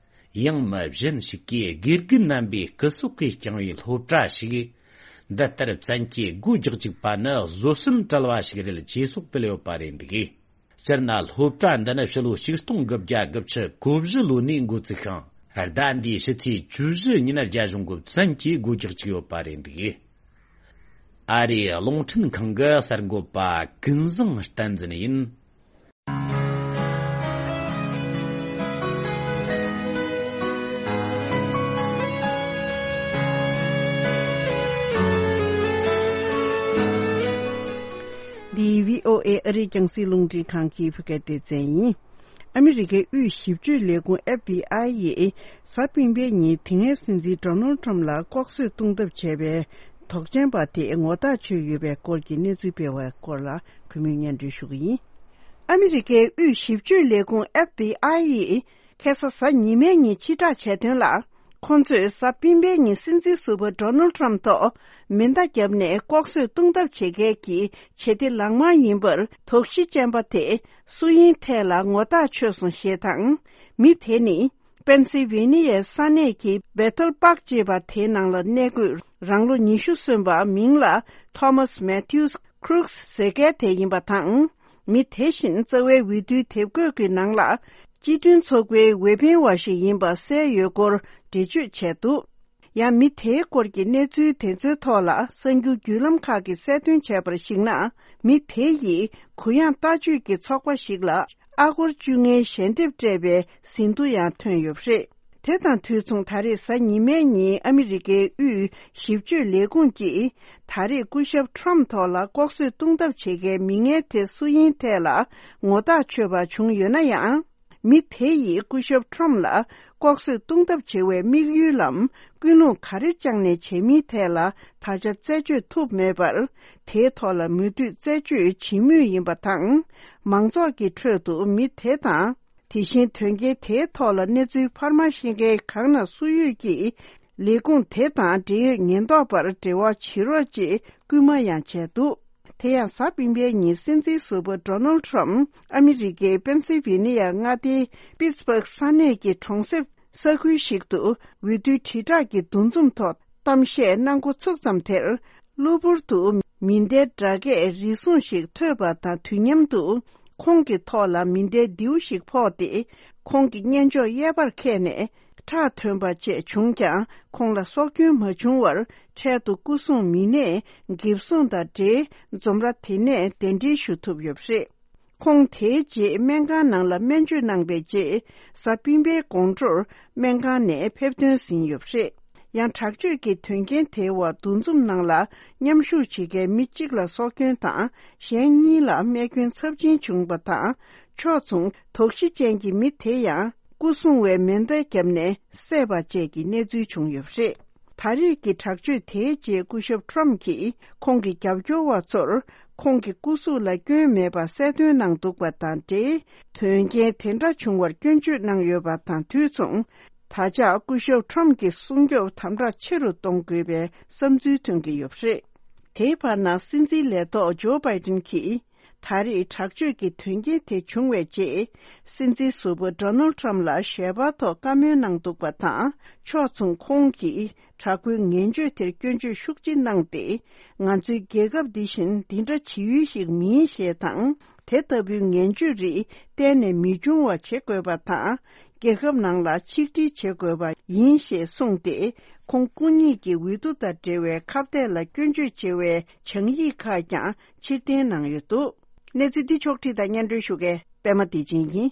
ཡང་མི་གཞན་ཞིག་གིས་དགེ་རྒན་རྣམ་པའི་སྐུ་སྲོག་གིས་བསྐྱངས་པའི་སློབ་གྲྭ་ཞིག་འདི་ལྟར་བཙན་གྱིས་སྒོ་རྒྱག་བཅུག་པ་ནི་བཟོད་བསྲན་བྲལ་བ་ཞིག་རེད་ཅེས་སོགས་སྤེལ་ཡོད་པ་རེད་འདུག་སྤྱིར་ན་སློབ་གྲྭ་འདི་ནི་ཕྱི་ལོ་ཆིག་སྟོང་དགུ་བརྒྱ་དགུ་བཅུ་གོ་བཞི་ལོ་ནས་འགོ་བཙུགས་ཤིང་། ཟླ་འདིའི་ཕྱི་ཚེས་བཅུ་བཞི་ཉིན་རྒྱ་གཞུང་གིས་བཙན་གྱིས་སྒོ་རྒྱག་བཅུག་ཡོད་པ་རེད་འདུག་ཨ་རིའི་རླུང་འཕྲིན་ཁང་གི་གསར་འགོད་པ་ཀུན་བཟང་བསྟན་འཛིན་ཡིན། འདི་བྷི་ཨོ་ཨེ་ཨ་རིའི་རྒྱང་སྲིང་རླུང་འཕྲིན་ཁང་གི་བོད་སྐད་སྡེ་ཚན་ཡིན། ཨ་མི་རི་ཀའི་དབུས་ཞིབ་དཔྱོད་ལས་ཁུངས་ཨེཕ་བྷི་ཨའི་ཡིས་གཟའ་སྤེན་པའི་ཉིན་དེ་སྔའི་སྲིད་འཛིན་ཌོ་ནལ་ཊམ་ལ་ལྐོག་གསོད་གཏོང་ཐབས་བྱས་པའི་དོགས་ཅན་པ་དེ་ངོ་ཐག་ཆོད་ཡོད་པའི་སྐོར་གྱི་གནས་ཚུལ་སྤེལ་བའི་སྐོར་ལ་གུས་མོས་སྙན་སྒྲོན་ཞུ་གི་ཡིན། ཨ་མི་རི་ཀའི་དབུས་ཞིབ་དཔྱོད་ལས་ཁུངས་ཨེཕ་བྷི་ཨའི་ཡིས་ཁ་སང་གཟའ་ཉི་མའི་ཉིན་ཕྱིར་བསྒྲགས་བྱས་དོན་ལ། ཁོང་ཚོས་གཟའ་སྤེན་པའི་ཉིན་སྲིད་འཛིན་ཟུར་པ་ཌོ་ནལ་ཊམ་ཐོག་མེ་མདའ་བརྒྱབ་ནས་ལྐོག་གསོད་གཏོང་ཐབས་བྱེད་མཁན་གྱི་བྱེད་གཏེ་ལག་དམར་ཡིན་པར་དོགས་གཞི་ཅན་པ་དེ་སུ་ཡིན་ཐད་ལ་ངོ་ཐག་ཆོད་སོང་ཞེས་དང་། མི་དེ་ནི་པེན་སིལ་ཝེ་ནི་ཡའི་ས་གནས་ཀྱི་བེ་ཐལ་པཱག་ཅེས་པ་དེའི་ནང་ལ་གནས་འཁོད་རང་ལོ་ཉི་ཤུ་སོན་པ་མིང་ལ་ཐོ་མཱས་མེ་ཐིའུ་སི་ཁྲུག་སི་ཟེར་མཁན་དེ་ཡིན་པ་དང་། མི་དེ་བཞིན་རྩ་བའི་འོས་བསྡུའི་དེབ་འགོད་ཀྱི་ནང་ལ་སྤྱི་མཐུན་ཚོགས་པའི་འོས་འཕེན་བ་ཞིག་ཡིན་པ་གསལ་ཡོད་སྐོར་འགྲེལ་བརྗོད་བྱས་འདུག་ཡང་མི་དེའི་སྐོར་གྱི་གནས་ཚུལ་དེ་ཚོའི་ཐོག་ལ་གསར་འགྱུར་བརྒྱུད་ལམ་ཁག་གིས་གསལ་སྟོན་བྱས་པར་གཞིགས་ན། མི་དེ་ཡིས་གུ་ཡངས་ལྟ་སྤྱོད་ཀྱི་ཚོགས་པ་ཞིག་ལ་ཨ་སྒོར་བཅོ་ལྔའི་ཞལ་འདེབས་སྤྲད་པའི་ཟིན་ཐོ་ཡང་ཐོན་ཡོད་པ་རེད། དེ་དང་དུས་མཚུངས་ད་རེས་གཟའ་ཉི་མའི་ཉིན་ཨ་མི་རི་ཀའི་དབུས་ཞིབ་དཔྱོད་ལས་ཁུངས་ཀྱིས་ད་རེས་སྐུ་ཞབས་ཊམ་ཐོག་ལ་ལྐོག་གསོད་གཏོང་ཐབས་བྱེད་མཁན་མི་ངན་དེ་སུ་ཡིན་ཐད་ལ་ངོ་ཐག་ཆོད་པ་བྱུང་ཡོད་ན་ཡང་། མི་དེ་ཡིས་སྐུ་ཞབས་ཊམ་ལ་ལྐོག་གསོད་གཏོང་ཐབས་བྱེད་པའི་དམིགས་ཡུལ་ལམ་ཀུན་སློང་ག་རེ་བཅངས་ནས་བྱས་མིན་ཐད་ལ་ད་ཆ་རྩད་གཅོད་ཐུབ་མེད་པར། དེའི་ཐོག་ལ་མུ་མཐུད་རྩད་གཅོད་བྱེད་མུས་ཡིན་པ་དང་། མང་ཚོགས་ཀྱི་ཁྲོད་དུ་མི་དེ་དང་། དེ་བཞིན་དོན་རྐྱེན་དེའི་ཐོག་ལ་གནས་ཚུལ་འཕར་མ་ཤེས་མཁན་གང་ན་སུ་ཡོད་ཀྱིས། ལས་ཁུངས་དེ་དང་འབྲེལ་ཡོད་ཉེན་རྟོག་པར་འབྲེལ་བ་བྱེད་རོགས་ཅེས་སྐུལ་མ་ཡང་བྱས་འདུག་དེ་ཡང་གཟའ་སྤེན་པའི་ཉིན་སྲིད་འཛིན་ཟུར་པ་ཌོ་ནལ་ཊམ་ཨ་མི་རི་ཀའི་པེན་སིལ་ཝེ་ནི་ཡ་མངའ་སྡེའི་པིཊ་སྦརག་ས་གནས་ཀྱི་གྲོང་གསེབ་ས་ཁུལ་ཞིག་ཏུ་འོས་བསྡུའི་དྲིལ་བསྒྲགས་ཀྱི་འདུ་འཛོམས་ཐོག་གཏམ་བཤད་གནང་འགོ་ཚུགས་ཙམ་དེར། གློ་བུར་དུ་མེ་མདའི་སྒྲ་སྐད་རེ་ཟུང་ཞིག་ཐོས་པ་དང་དུས་མཉམ་དུ། ཁོང་གི་ཐོག་ལ་མེ་མདའི་མདེའུ་ཞིག་ཕོག་སྟེ། ཁོང་གི་སྙན་ཅོག་གཡས་པར་འཁེལ་ནས་ཁྲག་ཐོན་པ་བཅས་བྱུང་ཀྱང་། ཁོང་ལ་སྲོག་སྐྱོན་མ་བྱུང་བར། འཕྲལ་དུ་སྐུ་སྲུང་མི་སྣས་འགེབས་སྲུང་དང་འབྲེལ། འཛོམས་ར་དེ་ནས་གདན་འདྲེན་ཞུ་ཐུབ་ཡོད་པ་རེད། ཁོང་དེའི་རྗེས་སྨན་ཁང་ནང་ལ་སྨན་བཅོས་གནང་པའི་རྗེས། གཟའ་སྤེན་པའི་དགོང་དྲོར་སྨན་ཁང་ནས་ཕེབས་ཐོན་ཟིན་ཡོད་པ་རེད། ཡང་དྲག་སྤྱོད་ཀྱི་དོན་རྐྱེན་དེའི་འོག་འདུ་འཛོམས་ནང་ལ་མཉམ་ཞུགས་བྱེད་མཁན་མི་གཅིག་ལ་སྲོག་སྐྱོན་དང་། གཞན་གཉིས་ལ་རྨས་སྐྱོན་ཚབས་ཆེན་བྱུང་བ་དང་། ཕྱོགས་མཚུངས་དོགས་གཞི་ཅན་གྱི་མི་དེ་ཡང་སྐུ་སྲུང་བས་མེ་མདའ་བརྒྱབ་ནས་བསད་པ་བཅས་ཀྱི་གནས་ཚུལ་བྱུང་ཡོད་པ་རེད། ད་རེས་ཀྱི་དྲག་སྤྱོད་དེའི་རྗེས་སྐུ་ཞབས་ཊམ་གྱིས་ཁོང་གི་རྒྱབ་སྐྱོར་བ་ཚོར་ཁོང་གི་སྐུ་གཟུགས་ལ་སྐྱོན་མེད་པ་གསལ་སྟོན་གནང་འདུག་པ་དང་འབྲེལ། དོན་རྐྱེན་དེ་འདྲ་བྱུང་བར་སྐྱོན་བརྗོད་གནང་ཡོད་པ་དང་དུས་མཚུངས། ད་ཆ་སྐུ་ཞབས་ཁྲོམ་གྱི་སྲུང་སྐྱོབ་དམ་དྲག་ཆེ་རུ་གཏོང་དགོས་པའི་བསམ་ཚུལ་ཐོན་གྱི་ཡོད་པ་རེད། དེའི་བར་ན་སྲིད་འཛིན་ལས་ཐོག་ཇོ་བྷའི་ཏིན་གྱིས། ད་རེས་དྲག་སྤྱོད་ཀྱི་དོན་རྐྱེན་དེ་བྱུང་བའི་རྗེས། སྲིད་འཛིན་ཟུར་པ་ཌོ་ནལ་ཊམ་ལ་ཞལ་པར་ཐོག་བཀའ་མོལ་གནང་འདུག་པ་དང་། ཕྱོགས་མཚུངས་ཁོང་གིས་དྲག་པོའི་ངན་སྤྱོད་དེར་སྐྱོན་བརྗོད་ཤུགས་ཆེ་གནང་སྟེ། ང་ཚོའི་རྒྱལ་ཁབ་འདི་བཞིན་འདི་འདྲ་བྱེད་ཡུལ་ཞིག་མིན་ཞེས་དང་། དེ་ལྟ་བུའི་ངན་སྤྱོད་རིགས་གཏན་ནས་མི་འབྱུང་བ་བྱེད་དགོས་པ་དང་། རྒྱལ་ཁབ་ནང་ལ་ཆིག་སྒྲིལ་བྱེད་དགོས་པ་ཡིན་ཞེས་གསུངས་ཏེ། ཁོང་སྐུ་ཉིད་ཀྱི་འོས་བསྡུ་དང་འབྲེལ་བའི་ཁ་གཏད་ལ་སྐྱོན་བརྗོད་བྱེད་པའི་བྱང་ཡིག་ཁག་ཀྱང་ཕྱིར་འཐེན་གནང་ཡོད་འདུག་གནས་ཚུལ་འདི་ཕྱོགས་བསྒྲིགས་དང་སྙན་སྒྲོན་ཞུ་མཁན་པད་མ་བདེ་ཆེན་ཡིན།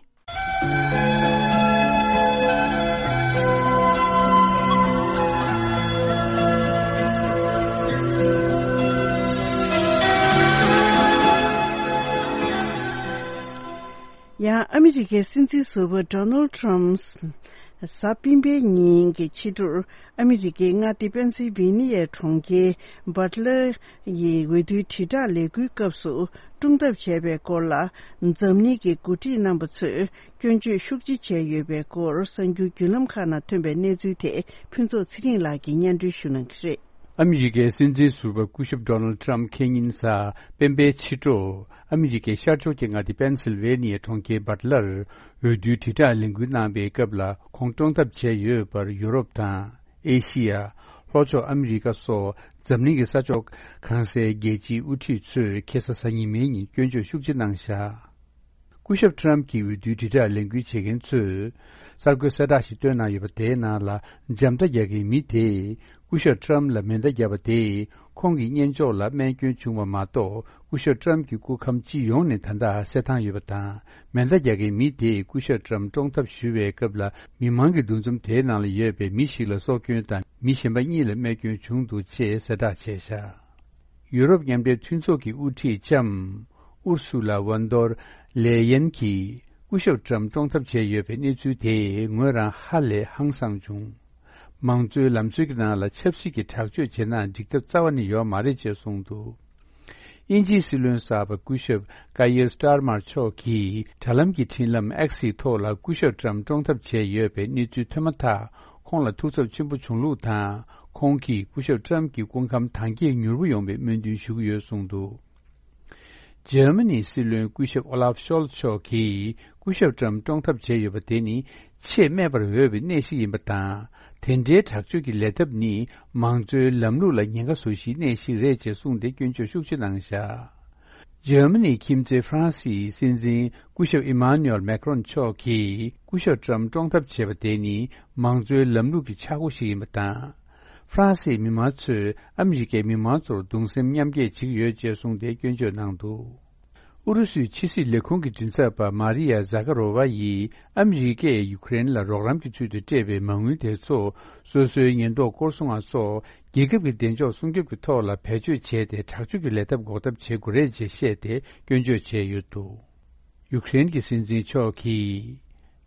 ཡང་ཨ་མི་རི་ཀའི་སྲིད་འཛིན་ཟུར་པ་ཌོ་ནལ་ཊམ་གཟའ་སྤེན་པའི་ཉིན་གྱི་ཕྱི་དྲོར་ཨ་མི་རི་ཀའི་མངའ་སྡེ་པེན་སིལ་ཝེ་ནི་ཡའི་གྲོང་ཁྱེར་བྷཊ་ལར་ཡི་འོས་བསྡུའི་དྲིལ་བསྒྲགས་ལས་འགུལ་སྐབས་སུ་བཀྲོངས་ཐབས་བྱས་པའི་སྐོར་ལ། འཛམ་གླིང་གི་འགོ་ཁྲིད་རྣམ་པ་ཚོས་སྐྱོན་བརྗོད་ཤུགས་ཆེ་བྱས་ཡོད་པའི་སྐོར་གསར་འགྱུར་བརྒྱུད་ལམ་ཁག་ནང་ཐོན་པའི་གནས་ཚུལ་དེ་ཕུན་ཚོགས་ཚེ་རིང་ལགས་ཀྱིས་སྙན་སྒྲོན་ཞུ་གནང་གི་རེད། ཨ་མི་རི་ཀའི་སྲིད་འཛིན་ཟུར་པ་སྐུ་ཞབས་ཌོ་ནལ་ཊམ་ཁེ་ཉིན་གཟའ་སྤེན་པའི་ཕྱི་དྲོ། ཨ་མི་རི་ཀའི་ཤར་ཕྱོགས་ཀྱི་མངའ་སྡེ་པེན་སིལ་ཝེ་ནི་ཡའི་གྲོང་ཁྱེར་བྷཊ་ལར་འོས་བསྡུའི་དྲིལ་བསྒྲགས་ལས་འགུལ་གནང་པའི་སྐབས་ལ་ཁོང་བཀྲོངས་ཐབས་བྱས་ཡོད་པར་ཡུ་རོབ་དང་། ཨེ་ཤི་ཡ། ལྷོ་ཕྱོགས་ཨ་མི་རི་ཀ་སོགས་འཛམ་གླིང་གི་ས་ཕྱོགས་གང་སའི་རྒྱལ་སྤྱིའི་དབུ་ཁྲིད་ཚོས་ཁེ་ས་གཟའ་ཉི་མའི་ཉིན་སྐྱོན་བརྗོད་ཤུགས་ཆེ་གནང་བཞག་སྐུ་ཞབས་ཊམ་གྱི་འོས་བསྡུའི་དྲིལ་བསྒྲགས་ལས་འགུལ་བྱེད་མཁན་ཚོས་གསར་འགོད་གསལ་བསྒྲགས་ཤིག་བཏོན་གནང་ཡོད་པ། དེའི་ནང་ལ་འཇམ་མདའ་རྒྱག་མཁན་མི་དེས་སྐུ་ཞབས་ཊམ་ལ་མེ་མདའ་བརྒྱབ་པ་དེས་ཁོང་གི་སྙན་ཅོག་ལ་རྨས་སྐྱོན་བྱུང་བ་མ་གཏོགས། སྐུ་ཞབས་ཊམ་གྱི་སྐུ་ཁམས་སྤྱི་ཡོངས་ནས་ད་ལྟ་གསལ་ཐང་ཡོད་པ་དང་། མེ་མདའ་རྒྱག་མཁན་མི་དེས་སྐུ་ཞབས་ཊམ་བཀྲོངས་ཐབས་ཞུ་བའི་སྐབས་ལ་མི་མང་གི་འདུ་འཛོམས་དེའི་ནང་ལ་ཡོད་པའི་མི་ཞིག་ལ་སྲོག་སྐྱོན་དང་མི་གཞན་པ་གཉིས་ལ་རྨས་སྐྱོན་བྱུང་འདུག་ཅེས་གསལ་བསྒྲགས་བྱས་བཞག་ཡུ་རོབ་མཉམ་འབྲེལ་མཐུན་ཚོགས་ཀྱི་དབུ་ཁྲིད་ལྕམ་ཨུར་སུ་ལ་ཝན་དོར་ལེ་ཡན་གྱིས་སྐུ་ཞབས་ཊམ་བཀྲོངས་ཐབས་བྱས་ཡོད་པའི་གནས་ཚུལ་དེས་ངོས་རང་ཧ་ལས་ཧང་སངས་བྱུང་། མང་གཙོའི་ལམ་སྲོལ་གྱི་ནང་ལ་ཆབ་སྲིད་ཀྱི་དྲག་སྤྱོད་བྱེད་ན་འགྲིག་ཐབས་རྩ་བ་ནས་ཡོད་མ་རེད་ཅེས་གསུངས་འདུག་དབྱིན་ཇིའི་སྲིད་བློན་གསར་པ་སྐུ་ཞབས་ཀ་ཡེར་སྟར་མར་མཆོག་གིས་དྲ་ལམ་གྱི་འཕྲིན་ལམ་ཨེག་སི་ཐོག་ལ་སྐུ་ཞབས་ཊམ་བཀྲོངས་ཐབས་བྱས་ཡོད་པའི་གནས་ཚུལ་ཐོན་མ་ཐག་ཁོང་ལ་ཐུགས་འཚབ་ཆེན་པོ་བྱུང་ལུགས་དང་། ཁོང་གིས་སྐུ་ཞབས་ཊམ་གྱི་སྐུ་ཁམས་དྭངས་སྐྱེད་མྱུར་པོ་ཡོང་བའི་སྨོན་འདུན་ཞུ་གི་ཡོད་གསུངས་འདུག་འཇར་མ་ནིའི་སྲིད་བློན་སྐུ་ཞབས་ཨོ་ལཱབ་ཤོལ་མཆོག་གིས་སྐུ་ཞབས་ཊམ་བཀྲོངས་ཐབས་བྱས་ཡོད་པ་དེ་ནི་ཆེས་སྨད་པར་འོས་པའི་གནས་ཤིག་ཡིན་པ་དང་། དེ་འདྲའི་དྲག་སྤྱོད་ཀྱི་ལས་ཐབས་ནི་མང་གཙོའི་ལམ་ལུགས་ལ་ཉེན་ཁ་བཟོ་གཞིའི་གནས་ཤིག་རེད་ཅེས་གསུངས་ཏེ་སྐྱོན་བརྗོད་ཤུགས་ཆེ་གནང་བཞག་འཇར་མ་ནིའི་ཁྱིམ་མཚེས་ཧྥ་རན་སིའི་སྲིད་འཛིན་སྐུ་ཞབས་ཨི་མཱ་ནུ་ཨེལ་མེག་རོན་མཆོག་གིས་སྐུ་ཞབས་ཊམ་བཀྲོངས་ཐབས་བྱས་པ་དེ་ནི་མང་གཙོའི་ལམ་ལུགས་ཀྱི་ཆག་སྒོ་ཞིག་ཡིན་པ་དང་། ཧྥ་རན་སིའི་མི་མང་ཚོས་ཨ་མི་རི་ཀའི་མི་མང་ཚོར་གདུང་སེམས་མཉམ་སྐྱེད་བྱེད་ཀྱི་ཡོད་ཅེས་གསུངས་ཏེ་སྐྱོན་བརྗོད་གནང་འདུག་ཨུ་རུ་སུའི་ཕྱི་སྲིད་ལས་ཁུངས་ཀྱི་མགྲིན་ཚབ་པ་མཱ་རི་ཡ་ཟ་ཀ་རོ་ཝ་ཡིས་ཨ་མི་རི་ཀས་ཡུ་ཀེ་རེན་ལ་རོགས་རམ་གྱི་ཚུལ་དུ་སྤྲད་པའི་མ་དངུལ་དེ་ཚོ་སོ་སོའི་ཉེན་རྟོག་སྐོར་སྲུང་བ་སོགས་རྒྱལ་ཁབ་ཀྱི་བདེ་འཇགས་སྲུང་སྐྱོབ་ཀྱི་ཐོག་ལ་བེད་སྤྱོད་བྱས་ཏེ་དྲག་སྤྱོད་ཀྱི་ལས་ཐབས་འགོག་ཐབས་བྱེད་དགོས་རེད་ཅེས་བཤད་དེ་སྐྱོན་བརྗོད་བྱས་ཡོད་འདུག་ཡུ་ཀེ་རེན་གྱི་སྲིད་འཛིན་མཆོག་གིས།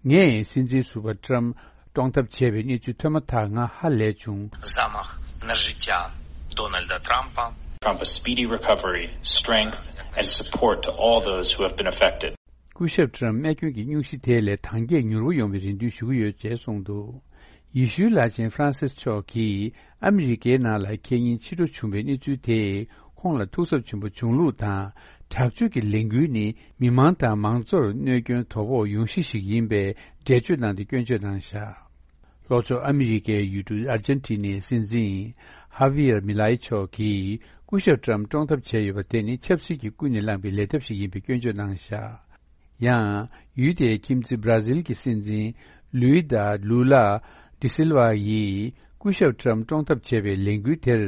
ངས་སྲིད་འཛིན་ཟུར་པ་ཊམ་བཀྲོངས་ཐབས་བྱས་པའི་གནས་ཚུལ་ཐོས་མ་ཐག་ང་ཧ་ལས་བྱུང་། Замах на життя Дональда Трампа. Trump a speedy recovery, strength and support to all those who have been affected. སྐུ་ཞབས་ཊམ་རྨས་སྐྱོན་གྱི་སྙུང་གཞི་དེ་ལས་དྭངས་སྐྱེད་མྱུར་པོ་ཡོང་བའི་རེ་འདུན་ཞུ་གི་ཡོད་ཅེས་གསུངས་འདུག་ཡེ་ཤུའི་བླ་ཆེན་ཧྥ་རན་སིས་མཆོག་གིས་ཨ་མི་རི་ཀའི་ནང་ལ་ཁེ་ཉིན་ཕྱི་དྲོ་བྱུང་བའི་གནས་ཚུལ་དེས་ཁོང་ལ་ཐུགས་འཚབ་ཆེན་པོ་བྱུང་ལུགས་དང་། དྲག་སྤྱོད་ཀྱི་ལས་འགུལ་ནི་མི་མང་དང་མང་གཙོར་གནོད་སྐྱོན་དོ་ཕོག་ཡོང་གཞི་ཞིག་ཡིན་པའི་འགྲེལ་བརྗོད་གནང་སྟེ་སྐྱོན་བརྗོད་གནང་བཞག་ལྷོ་ཕྱོགས་ཨ་མི་རི་ཀའི་ཡུལ་གྲུ་ཨར་ཇན་ཊི་ནའི་སྲིད་འཛིན་ཧ་བི་ཡར་མི་ལའི་མཆོག་གིས་སྐུ་ཞབས་ཊམ་བཀྲོངས་ཐབས་བྱས་ཡོད་པ་དེ་ནི་ཆབ་སྲིད་ཀྱིས་ཀུན་ནས་བསླངས་པའི་ལས་ཐབས་ཤིག་ཡིན་པའི་སྐྱོན་བརྗོད་གནང་བཞག་ཡང་། ཡུལ་དེའི་ཁྱིམ་མཚེས་བྷ་ར་ཟིལ་གྱི་སྲིད་འཛིན་ལུའི་དཱ་ལུ་ལ་ཌི་སིལ་ཝ་ཡིས་སྐུ་ཞབས་ཊམ་བཀྲོངས་ཐབས་བྱས་པའི་ལས་འགུལ་དེར་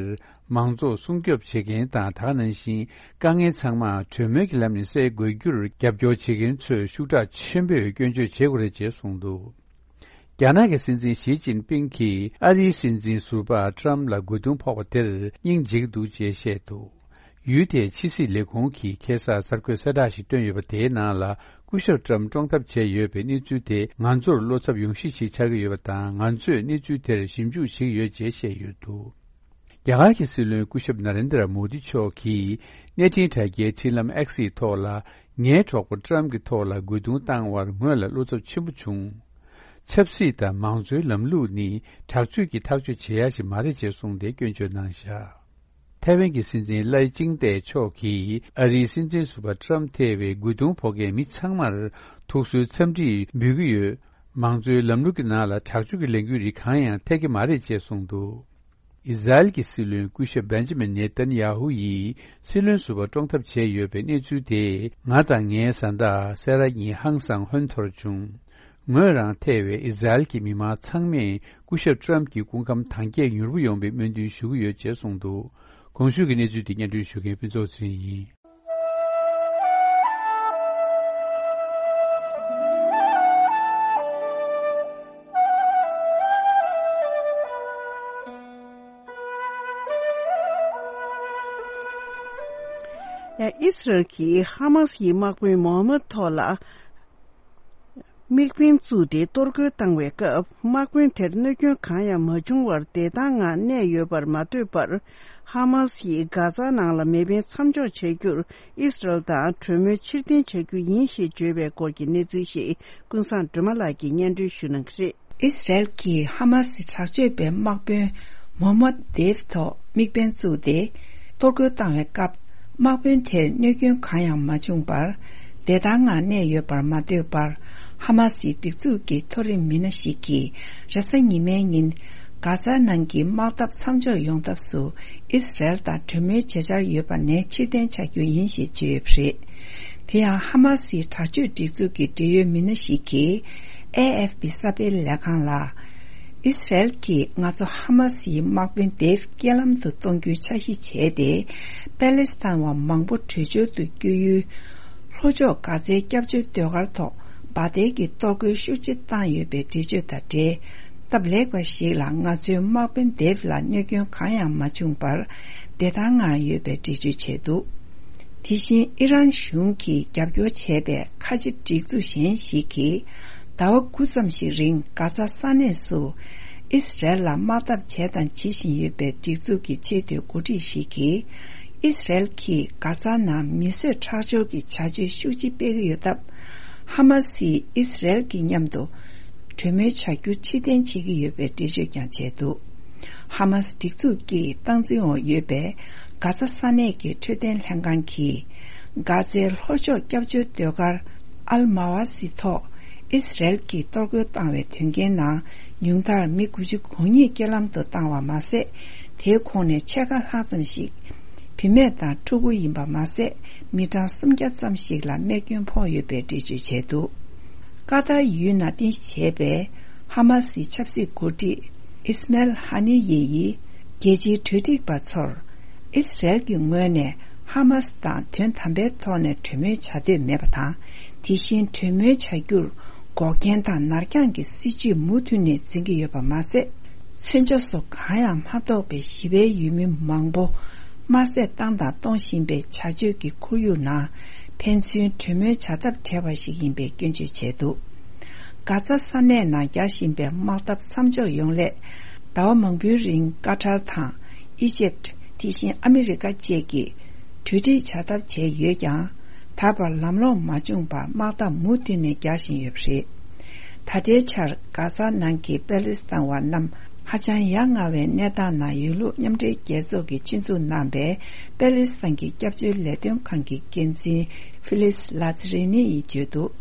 མང་ཚོགས་སྲུང་སྐྱོབ་བྱེད་མཁན་དང་། ད་ག་ནང་བཞིན་དཀའ་ངལ་ཚང་མ་གྲོས་མོལ་གྱི་ལམ་ནས་སེལ་དགོས་རྒྱུར་རྒྱབ་སྐྱོར་བྱེད་མཁན་ཚོས་ཤུགས་དྲག་ཆེན་པོས་སྐྱོན་བརྗོད་བྱེད་དགོས་རེད་ཅེས་གསུངས་འདུག་རྒྱ་ནག་གི་སྲིད་འཛིན་ཞི་ཅིན་ཕིང་གིས་ཨ་རིའི་སྲིད་འཛིན་ཟུར་པ་ཊམ་ལ་རྒོལ་རྡུང་ཕོག་པ་དེར་སྙིང་རྗེ་གི་འདུག་ཅེས་བཤད་འདུག་ཡུལ་དེའི་ཕྱི་སྲིད་ལས་ཁུངས་ཀྱིས་ཁ་སང་གསར་འགོད་གསལ་བསྒྲགས་ཤིག་བཏོན་ཡོད་པ། དེའི་ནང་ལ་སྐུ་ཞབས་ཊམ་བཀྲོངས་ཐབས་བྱས་ཡོད་པའི་གནས་ཚུལ་དེ་ང་ཚོར་བློ་འཚབ་ཡོང་གཞི་ཞིག་ཆགས་ཀྱི་ཡོད་པ་དང་། ང་ཚོས་གནས་ཚུལ་དེར་ཞིབ་འཇུག་བྱེད་ཀྱི་ཡོད་ཅེས་བཤད་ཡོད་འདུག་རྒྱ་གར་གྱི་སྲིད་བློན་སྐུ་ཞབས་ན་རེན་དྲ་མོ་དི་མཆོག་གིས་གནས་འཕྲིན་དྲ་རྒྱའི་འཕྲིན་ལམ་ཨེག་སི་ཐོག་ལ། ངའི་གྲོགས་པོ་ཊམ་གྱི་ཐོག་ལ་རྒོལ་རྡུང་བཏང་བར་ངོས་ལ་བློ་འཚབ་ཆེན་པོ་བྱུང་། ཆབ་སྲིད་དང་མང་གཙོའི་ལམ་ལུགས་ནི་དྲག་སྤྱོད་ཀྱིས་ཐག་གཅོད་བྱེད་ཡ་ཞིག་མ་རེད་ཅེས་གསུངས་ཏེ་སྐྱོན་བརྗོད་གནང་བཞག། ཐའེ་ཝན་གྱི་སྲིད་འཛིན་ལའེ་ཅིང་ཏེ་མཆོག་གིས་ཨ་རིའི་སྲིད་འཛིན་ཟུར་པ་ཏྲམ་ཐེ་བའི་རྒོལ་རྡུང་ཕོག་མཁན་མི་ཚང་མར་ཐུགས་གསོའི་འཚམས་འདྲི་འབུལ་གྱི་ཡོད། མང་གཙོའི་ལམ་ལུགས་ཀྱི་ནང་ལ་དྲག་སྤྱོད་ཀྱི་ལས་འགུལ་རིགས་གང་ཡང་འཐད་ཀྱི་མ་རེད་ཅེས་གསུངས་འདུག། ཨི་ཟ་རེལ་གྱི་སྲིད་བློན་སྐུ་ཞབས་བེན་ཇི་མིན་ནེ་ཏན་ཡ་ཧུ་ཡིས་སྲིད་བློན་ཟུར་པ་བཀྲོངས་ཐབས་བྱས་ཡོད་པའི་གནས་ཚུལ་དེ་ང་དང་ངའི་བཟའ་ཟླ་སེ་ར་ཉིན་ཧང་སང་ཧོན་ཐོར་བྱུང་། ངོས་རང་ཐེ་བའི་ཨི་ཟ་རེལ་གྱི་མི་མང་ཚང་མས་སྐུ་ཞབས་ཏྲམ་གྱི་སྐུ་ཁམས་དྭངས་སྐྱེད་མྱུར་པོ་ཡོང་བའི་སྨོན་འདུན་ཞུ་གི་ཡོད་ཅེས་གསུངས་འདུག། གོང་ཞུས་ཀྱི་གནས་ཚུལ་དེ་སྙན་སྒྲོན་ཞུ་མཁན་ཕུན་ཚོགས་ཚེ་རིང་ཡིན། ཡང་ཨི་སི་རལ་གྱིས་ཧ་མ་སི་ཡི་དམག་དཔོན་མོ་ཧ་མད་ཐོག་ལ་དམིགས་འབེན་བཙུགས་ཏེ་གཏོར་རྒོལ་བཏང་བའི་སྐབས། དམག་དཔོན་དེར་གནོད་སྐྱོན་གང་ཡང་མ་བྱུང་བར་བདེ་ཐང་ངང་གནས་ཡོད་པར་མ་ལྟོས་པར། ཧ་མ་སི་ཡིས་གྷ་ཛ་ནང་ལ་མེ་འཕེན་མཚམས་འཇོག་བྱ་རྒྱུར་ཨི་སི་རལ་དང་གྲོས་མོལ་ཕྱིར་འཐེན་བྱ་རྒྱུ་ཡིན་ཞེས་བརྗོད་པའི་སྐོར་གྱི་གནས་ཚུལ་ཞིག་ཀུན་བཟང་སྒྲོལ་མ་ལགས་ཀྱིས་སྙན་སྒྲོན་ཞུ་གནང་གི་རེད། ཨི་སི་རལ་གྱིས་ཧ་མ་སི་དྲག་སྤྱོད་པའི་དམག་དཔོན་མོ་ཧ་མད་དེབ་ཐོག་དམིགས་འབེན་བཙུགས་ཏེ། གཏོར་རྒོལ་བཏང་བའི་སྐབས། དམག་དཔོན་དེར་གནོད་སྐྱོན་གང་ཡང་མ་བྱུང་བར། བདེ་ཐང་ངང་གནས་ཡོད་པར་མ་ལྟོས་པར། ཧ་མ་སིའི་སྒྲིག་འཛུགས་ཀྱི་མཐོ་རིམ་མི་སྣ་ཞིག་གིས། རེས་གཟའ་ཉི་མའི་ཉིན། གྷ་ཛ་ནང་གི་དམག་འཐབ་མཚམས་འཇོག་ཡོང་ཐབས་སུ། ཨི་སི་རལ་དང་གྲོས་མོལ་བྱེད་འཆར་ཡོད་པ་ནས་ཕྱིར་འཐེན་བྱ་རྒྱུ་ཡིན་ཞེས་བརྗོད་ཡོད་པ་རེད། དེ་ཡང་ཧ་མ་སིའི་དྲག་སྤྱོད་སྒྲིག་འཛུགས་ཀྱི་འབྲེལ་ཡོད་མི་སྣ་ཞིག་གིས། ཨེ་ཨེཕ་པི་གསར་སྤེལ་ལས་ཁང་ལ། ཨི་སི་རལ་གྱིས་ང་ཚོ་ཧ་མ་སིའི་དམག་དཔོན་དེབ་རྐྱེན་ལམ་དུ་གཏོང་རྒྱུའི་འཆར་གཞི་བྱས་ཏེ། པེ་ལེ་སི་ཐན་བ་མང་པོ་བྲོས་བྱོལ་དུ་བསྐྱོད་ཡུལ། ལྷོ་ཕྱོགས་གྷ་ཛའི་སྐྱབས་བཅོལ་སྡོད་སྒར་ཐོག་འབར་མདེལ་གྱི་གཏོར་རྒོལ་ཤུགས་ཆེ་བཏང་ཡོད་པའི་འགྲེལ་བརྗོད་དང་འབྲེལ། སྟབས་ལེགས་པ་ཞིག་ལ་ང་ཚོའི་དམག་དཔོན་དེབ་ལ་གནོད་སྐྱོན་གང་ཡང་མ་བྱུང་བར། བདེ་ཐང་ངང་ཡོད་པའི་འགྲེལ་བརྗོད་བྱས་འདུག། དེ་བཞིན་ཨི་རན་གཞུང་གིས་རྒྱབ་སྐྱོར་བྱས་པའི་ཁ་ཆེ་སྒྲིག་འཛུགས་གཞན་ཞིག་གིས། ཟླ་བ་དགུ་ཙམ་ཞིག་རིང་གྷ་ཛ་ས་གནས་སུ། ཨི་སི་རལ་ལ་དམག་འཐབ་བྱས་དང་བྱེད་བཞིན་ཡོད་པའི་སྒྲིག་འཛུགས་ཀྱི་ཆེས་མཐོའི་འགོ་ཁྲིད་ཞིག་གིས། ཨི་སི་རལ་གྱིས་གྷ་ཛ་ནང་མི་གསོད་ཁྲག་སྦྱོར་གྱི་བྱ་སྤྱོད་ཤུགས་ཆེ་སྤེལ་གྱི་ཡོད་སྟབས། ཧ་མ་སིས་ཨི་སི་རལ་གྱི་མཉམ་དུ་གྲོས་མོལ་བྱ་རྒྱུ་ཕྱིར་འཐེན་བྱེད་ཀྱི་ཡོད་པའི་འགྲེལ་བརྗོད་ཀྱང་བྱས་འདུག། ཧ་མ་སི་སྒྲིག་འཛུགས་ཀྱི་སྟངས་འཛིན་འོག་ཡོད་པའི་གྷ་ཛ་ས་གནས་ཀྱི་འཕྲོད་བསྟེན་ལྷན་ཁང་གིས། གྷ་ཛའི་ལྷོ་ཕྱོགས་སྐྱབས་བཅོལ་སྡོད་སྒར་ཨལ་མ་ཝ་སི་ཐོག་ཨི་སི་རལ་གྱིས་གཏོར་རྒོལ་བཏང་བའི་དོན་རྐྱེན་ནང་ཉུང་མཐར་མི་དགུ་བཅུ་གོ་གཉིས་རྐྱེན་ལམ་དུ་བཏང་བ་མ་ཟད། དེའི་ཁོངས་ནས་ཕྱེད་ཀ་ལྷག་ཙམ་ཞིག་བུད་མེད་དང་ཕྲུ་གུ་ཡིན་པ་མ་ཟད། མི་གྲངས་སུམ་བརྒྱ་ཙམ་ཞིག་ལ་རྨས་སྐྱོན་ཕོག་ཡོད་པའི་འགྲེལ་བརྗོད་བྱས་འདུག། ཀ་ཏར་ཡུལ་ནང་རྟེན་གཞི་བྱས་པའི་ཧ་མ་སིའི་ཆབ་སྲིད་འགོ་ཁྲིད་ཨིས་མེལ་ཧ་ནི་ཡེ་ཡིས་རྒྱལ་སྤྱིའི་གྲོས་སྒྲིག་པ་ཚོར། ཨིས་རལ་གྱི་ངོས་ནས་ཧ་མ་སི་དང་དོན་དམ་པའི་ཐོག་ནས་གྲོས་མོལ་བྱ་འདོད་མེད་པ་དང་། དེ་བཞིན་གྲོས་མོལ་བྱ་རྒྱུར་འགོག་རྐྱེན་དང་ནར་འགྱངས་ཀྱི་སྲིད་བྱུས་མུ་མཐུད་ནས་འཛིན་གྱི་ཡོད་པ་མ་ཟད། མཚོན་ཆ་སོགས་གང་ཡང་མ་ཐོགས་པའི་ཞི་བའི་ཡུལ་མི་མང་པོ་དམར་གསོད་བཏང་དང་གཏོང་བཞིན་པའི་བྱ་སྤྱོད་ཀྱི་ཁོར་ཡུག་ནང་ཕན་ཚུན་གྲོས་མོལ་བྱ་ཐབས་བྲལ་བ་ཞིག་ཡིན་པའི་སྐྱོན་བརྗོད་བྱས་འདུག། གྷ་ཛ་ས་གནས་ནང་རྒྱག་བཞིན་པའི་དམག་འཐབ་མཚམས་འཇོག་ཡོང་སླད། ཟླ་བ་མང་པོའི་རིང་ཀ་ཊར་དང་ཨི་ཇེབ། དེ་བཞིན་ཨ་མི་རི་ཀ་བཅས་ཀྱིས་གྲོས་འགྲིག་བྱ་ཐབས་བྱས་ཡོད་ཀྱང་། ད་བར་ལམ་ལྷོང་མ་བྱུང་བར་དམག་འཐབ་མུ་མཐུད་ནས་རྒྱག་བཞིན་ཡོད་པ་རེད། ད་ལྟའི་ཆར་གྷ་ཛ་ནང་གི་པེ་ལེ་སི་ཐན་བ་རྣམས་ཧ་ཅང་ཡ་ང་བའི་གནས་སྟངས་ནང་ཡོད་ལུགས་མཉམ་འབྲེལ་རྒྱལ་ཚོགས་ཀྱིས་ཆེད་འཛུགས་གནང་པའི་པེ་ལེ་སི་ཐན་གྱི་སྐྱབས་བཅོལ་ལས་དོན་ཁང་གི་འགན་འཛིན་ཧྥི་ལིས་ལ་ཛི་རི་ནི་ཡིས་བརྗོད་འདུག།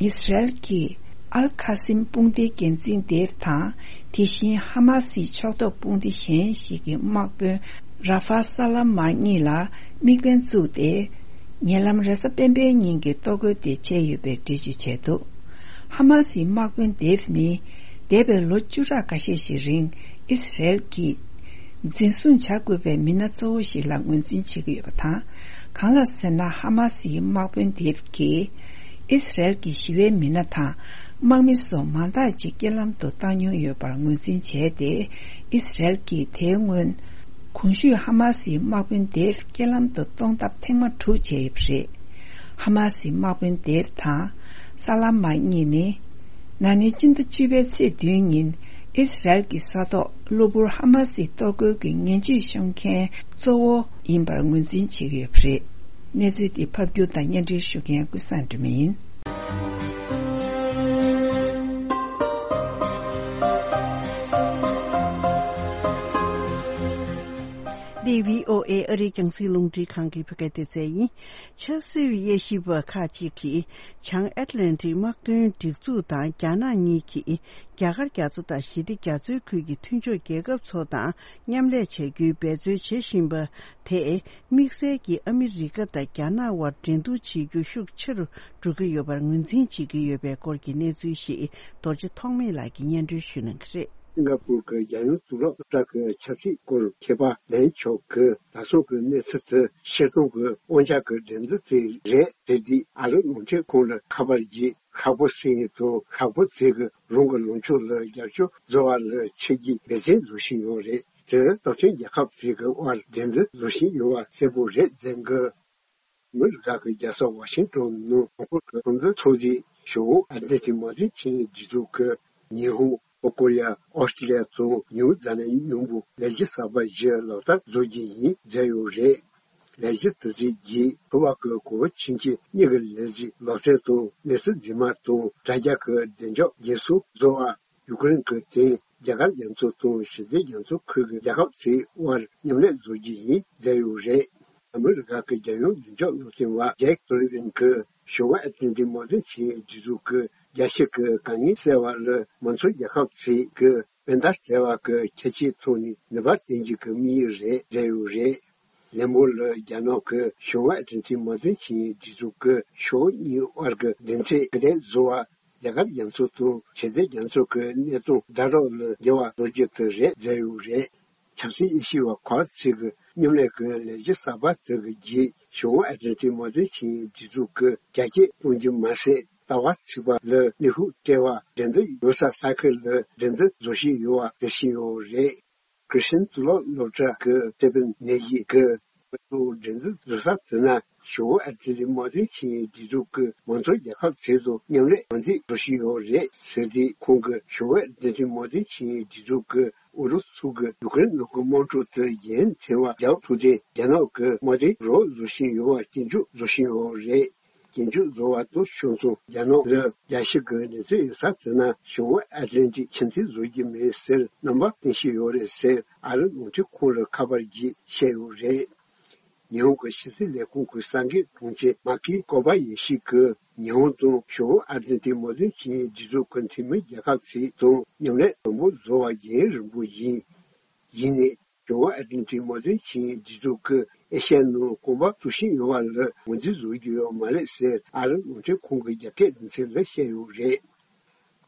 ཨིས་རལ་གྱིས་ཨལ་ཁ་སིམ་དཔུང་སྡེའི་འགན་འཛིན་དེ་དང་། དེ་བཞིན་ཧ་མ་སིའི་ཕྱོགས་གཏོགས་དཔུང་སྡེ་གཞན་ཞིག་གི་དམག་དཔོན་ར་ཧྥ་ས་ལ་མ་གཉིས་ལ་དམིགས་འབེན་བཙུགས་ཏེ། ཉེ་ལམ་རེས་གཟའ་སྤེན་པའི་ཉིན་གྱི་གཏོར་རྒོལ་དེ་བྱས་ཡོད་པའི་འགྲེལ་བརྗོད་བྱས་འདུག། ཧ་མ་སིའི་དམག་དཔོན་དེབ་ནི། འདས་པའི་ལོ་བཅུ་ཕྲག་འགའ་ཤས་ཤིག་རིང་ཨིས་རལ་གྱིས་འཛིན་བཟུང་བྱ་དགོས་པའི་མི་སྣ་གཙོ་བོ་ཞིག་ལ་ངོས་འཛིན་བྱེད་ཀྱི་ཡོད་པ་དང་། གང་ལགས་ཟེར་ན། ཧ་མ་སིའི་དམག་དཔོན་དེབ་ཀྱིས་ཨིས་རལ་གྱི་ཞི་བའི་མི་སྣ་དང་དམག་མི་སོགས་མང་དག་ཅིག་རྐྱེན་ལམ་དུ་བཏང་མྱོང་ཡོད་པར་ངོས་འཛིན་བྱས་ཏེ། ཨིས་རལ་གྱིས་དེའི་སྔོན་གོང་ཞུས་ཧ་མ་སིའི་དམག་དཔོན་དེབ་རྐྱེན་ལམ་དུ་གཏོང་ཐབས་ཐེངས་མ་དྲུག་བྱས་ཡོད་པ་རེད། ཧ་མ་སིའི་དམག་དཔོན་དེབ་དང་ས་ལ་མ་གཉིས་ནི། ན་ནིང་སྤྱི་ཟླ་བཅུ་པའི་ཚེས་བདུན་ཉིན་ཨིས་རལ་གྱི་ས་ཐོག་གློ་བུར་ཧ་མ་སིའི་གཏོར་རྒོལ་གྱི་ངན་ཇུས་ཤོང་མཁན་གཙོ་བོ་ཡིན་པར་ངོས་འཛིན་བྱེད་ཀྱི་ཡོད་པ་རེད། གནས་ཚུལ་འདི་ཕབ་སྒྱུར་དང་སྙན་སྒྲོན་ཞུ་མཁན་ཀུན་བཟང་སྒྲོལ་མ་ཡིན། འདི་བྷི་ཨོ་ཨེ་ཨ་རིའི་རྒྱང་སྲིང་རླུང་འཕྲིན་ཁང་གི་བོད་སྐད་སྡེ་ཚན་ཡིན། ཆབ་སྲིད་དབྱེ་ཞིབ་པ་ཁག་ཅིག་གིས་བྱང་ཨེཊ་ལན་ཊིག་དམག་དོན་སྒྲིག་འཛུགས་དང་རྒྱ་ནག་གཉིས་ཀྱིས་རྒྱ་གར་རྒྱ་མཚོ་དང་ཞི་བདེ་རྒྱ་མཚོའི་ཁུལ་གྱི་མཐུན་ཕྱོགས་རྒྱལ་ཁབ་ཚོ་དང་མཉམ་ལས་བྱ་རྒྱུའི་འབད་རྩོལ་བྱེད་བཞིན་པ་དེས། དམིགས་བསལ་གྱིས་ཨ་མི་རི་ཀ་དང་རྒྱ་ནག་དབར་འགྲན་བསྡུར་བྱེད་རྒྱུ་ཤུགས་ཆེ་རུ་འགྲོ་གི་ཡོད་པར་ངོས་འཛིན་བྱེད་ཀྱི་ཡོད་པའི་སྐོར་གྱི་གནས་ཚུལ་ཞིག་རྡོ་རྗེ་ཐོགས་མེད་ལགས་ཀྱིས་སྙན་སྒྲོན་ཞུ་གནང་གི་རེད། སིང་ག་པུར་གྱི་རྒྱལ་ཡོངས་གཙུག་ལག་སློབ་གྲྭ་གི་ཆབ་སྲིད་སྐོར་མཁས་པ་ལན་ཆོག་གིས་ད་སོང་གི་གནས་ཚུལ་དེ་ཕྱིར་གཏོང་གི་དབང་ཆ་གི་འགྲན་བསྡུར་དེ་རེད་ཟེར་དུས། ཨ་རི་རླུང་འཕྲིན་ཁང་ལ་ཁ་པར་བརྒྱུད་ཤོག་བུ་ཟིན་ཡིན་དང་། ཤོག་བུ་དེ་གིས་རང་གི་ལངས་ཕྱོགས་ལ་རྒྱབ་སྐྱོར་བཟོ་བ་ལ་ཆིག་སྒྲིལ་འབད་བརྩོན་བཟོ་བཞིན་ཡོད་རེད། དེ་སྟོབས་ཆེན་རྒྱལ་ཁབ་ཚོའི་དབར་འགྲན་བསྡུར་བཟོ་བཞིན་ཡོད་པ་གསལ་པོ་རེད་ཟེར་གི། ཨ་མི་རི་ཀ་གི་རྒྱལ་ས་ཝ་ཤིང་ཏོན་ནང་གོང་བཀུར་གྱི་ཚོགས་འདུ་ཚོགས་དུས། བྱང་ཨ་ཊ་ལན་ཊིག་དམག་དོན་ཆིངས་ཡིག་སྒྲིག་འཛུགས་ཀྱིས་ཉི་ཧོང་། ལྷོ་ཀོ་རི་ཡ། ཨོ་སི་ཀྲི་ལི་ཡ་དང་ནིའུ་ཛི་ལན་མཉམ་པོ་ལས་གཞི་གསར་པ་བཞི་ལག་བསྟར་བཟོ་རྒྱུ་ཡིན་ཟེར་ཡོད་རེད། ལས་གཞི་དེ་ཚོའི་རྗེས་ཁུ་བ་གི་གོ་བོ་ཆིན་ཅི་གཉིས་ཀྱི་ལས་གཞི་ལག་རྩལ་དང་གནས་ཚུལ་འཛིན་མ་དང་དྲ་རྒྱ་གི་བདེ་འཇགས་འགན་སྲུང་བཟོ་བ། ཡུ་ཀེ་རེན་གྱི་སྟེང་རྒྱ་གར་རྒྱ་མཚོ་དང་ཞི་བདེ་རྒྱ་མཚོ་ཁུལ་གྱི་རྒྱལ་ཁབ་ཚོའི་དབར་མཉམ་ལས་བཟོ་རྒྱུ་ཡིན་ཟེར་ཡོད་རེད། ཨ་མི་རི་ཀ་གི་རྒྱལ་ཡོངས་བདེ་འཇགས་སློབ་སྟོན་པ་ཇེཀ་སུ་ལི་ཝན་གྱིས་བྱང་ཨ་ཊ་ལན་ཊིག་དམག་དོན་ཆིངས་ཡིག་སྒྲིག་འཛུགས་ཀྱིས་རྒྱལ་སྤྱི་གི་དཀའ་ངལ་སེལ་བ་ལ་མང་གཙོ་རྒྱལ་ཁབ་ཚོས་ཀྱི་དཔེ་ཟླ་བྲལ་བ་གི་ཁྱད་ཆོས་ཐོག་ནས་ནུས་པ་བཏོན་རྒྱུ་གི་དམིགས་ཡུལ་རེད་ཟེར་ཡོད་རེད། ལན་པོ་ལ་རྒྱ་ནག་གིས་བྱང་ཨ་ཊ་ལན་ཊིག་དམག་དོན་ཆིངས་ཡིག་སྒྲིག་འཛུགས་ཀྱི་ཕྱོགས་གཉིས་དབར་གྱི་འགྲན་ཚད་ག་དེ་བཟོ་བ། རྒྱ་གར་རྒྱ་མཚོ་དང་ཞི་བདེ་རྒྱ་མཚོ་གི་གནས་སྟངས་ཟླ་རོགས་ལ་འགྱུར་བ་གཏོང་རྒྱུ་དེ་རེད་ཟེར་ཡོད་རེད། ཆབ་སྲིད་དབྱེ་ཞིབ་པ་ཁག་ཅིག་གི་མཉམ་ལས་ཀྱི་ལས་གཞི་གསར་པ་དེ་གི་རྗེས་བྱང་ཨ་ཊ་ལན་ཊིག་དམག་དོན་ཆིངས་ཡིག་སྒྲིག་འཛུགས་ཀྱིས་རྒྱ་སྐྱེད་གཏོང་རྒྱུ་མ་ཟད། ལྟ་བ་ཚིག་པ་ལ་ནུས་ཤུགས་སྤྲད་པ། འགྲན་བསྡུར་ཡོད་ས་ས་ཁུལ་ལ་འགྲན་བསྡུར་བཟོ་བཞིན་ཡོད་པ་འགྲེལ་བཞིན་ཡོད་རེད། ཁྲི་སྟེན་གཙུག་ལག་སློབ་གྲྭ་གི་སྟེ་པིན་ནེ་ཡི་གིས་ང་ཚོ་འགྲན་བསྡུར་བཟོ་ས་དེ་ན་བྱང་ཨ་ཊ་ལན་ཊིག་དམག་དོན་ཆིངས་ཡིག་སྒྲིག་འཛུགས་ཀྱི་མང་གཙོ་རྒྱལ་ཁབ་ཚོ་དང་མཉམ་ལས་གང་ཐུབ་བཟོ་བཞིན་ཡོད་རེད་ཟེར་ཏེ། ཁོང་གིས་བྱང་ཨ་ཊ་ལན་ཊིག་དམག་དོན་ཆིངས་ཡིག་སྒྲིག་འཛུགས་ཀྱིས་ཨུ་རུ་སུ་གིས་ཡུ་ཀེ་རེན་ནང་གི་དམག་འཁྲུག་དེ་ཡུན་ཐུང་བ་རྒྱག་ཐུབ་སྟེ། རྒྱ་ནག་གི་དམག་དོན་རོགས་བཟོ་བཞིན་ཡོད་པ་སྐྱོན་བརྗོད་བཟོ་བཞིན་ཡོད་རེད། སྐྱོན་བརྗོད་བཟོ་བ་དང་ཕྱོགས་མཚུངས་རྒྱ་ནག་ལ་རྒྱལ་སྤྱི་གི་གནས་ཚུལ་ཡོད་ས་དེ་ན་བྱང་ཨ་ཊ་ལན་ཊིག་ཆེ་མཐོང་བཟོ་རྒྱུ་མེད་ཟེར་རྣམ་པ་སྟོན་བཞིན་ཡོད་རེད་ཟེར། ཨ་རི་རླུང་འཕྲིན་ཁང་ལ་ཁ་པར་བརྒྱུད་བཤད་ཡོད་རེད། ཉི་ཧོང་གི་ཕྱི་སྲིད་ལས་ཁུངས་ཀྱི་གསར་འགོད་དྲུང་ཆེ་མ་ཀི་ཀོ་བ་ཡེ་ཤི་གིས་ཉི་ཧོང་དང་བྱང་ཨ་ཊ་ལན་ཊིག་དམག་དོན་ཆིངས་ཡིག་སྒྲིག་འཛུགས་ཀྱི་འཐུས་མི་རྒྱལ་ཁབ་ཚོ་དང་མཉམ་ལས་དམ་པོ་བཟོ་བ་རྒྱུན་རིང་པོ་ཡིན། ཡིན་ནའི། བྱང་ཨ་ཊ་ལན་ཊིག་དམག་དོན་ཆིངས་ཡིག་སྒྲིག་འཛུགས་ཀྱིས་ཨེ་ཤ་ཡའི་ནང་གོམ་པ་འཛུགས་བཞིན་ཡོད་པ་ལ་ངོས་འཛིན་བཟོ་རྒྱུ་ཡོད་མ་རེད་ཟེར་ཨ་རི་རླུང་འཕྲིན་ཁང་གི་རྒྱ་སྐད་སྡེ་ཚན་ལ་བཤད་ཡོད་རེད།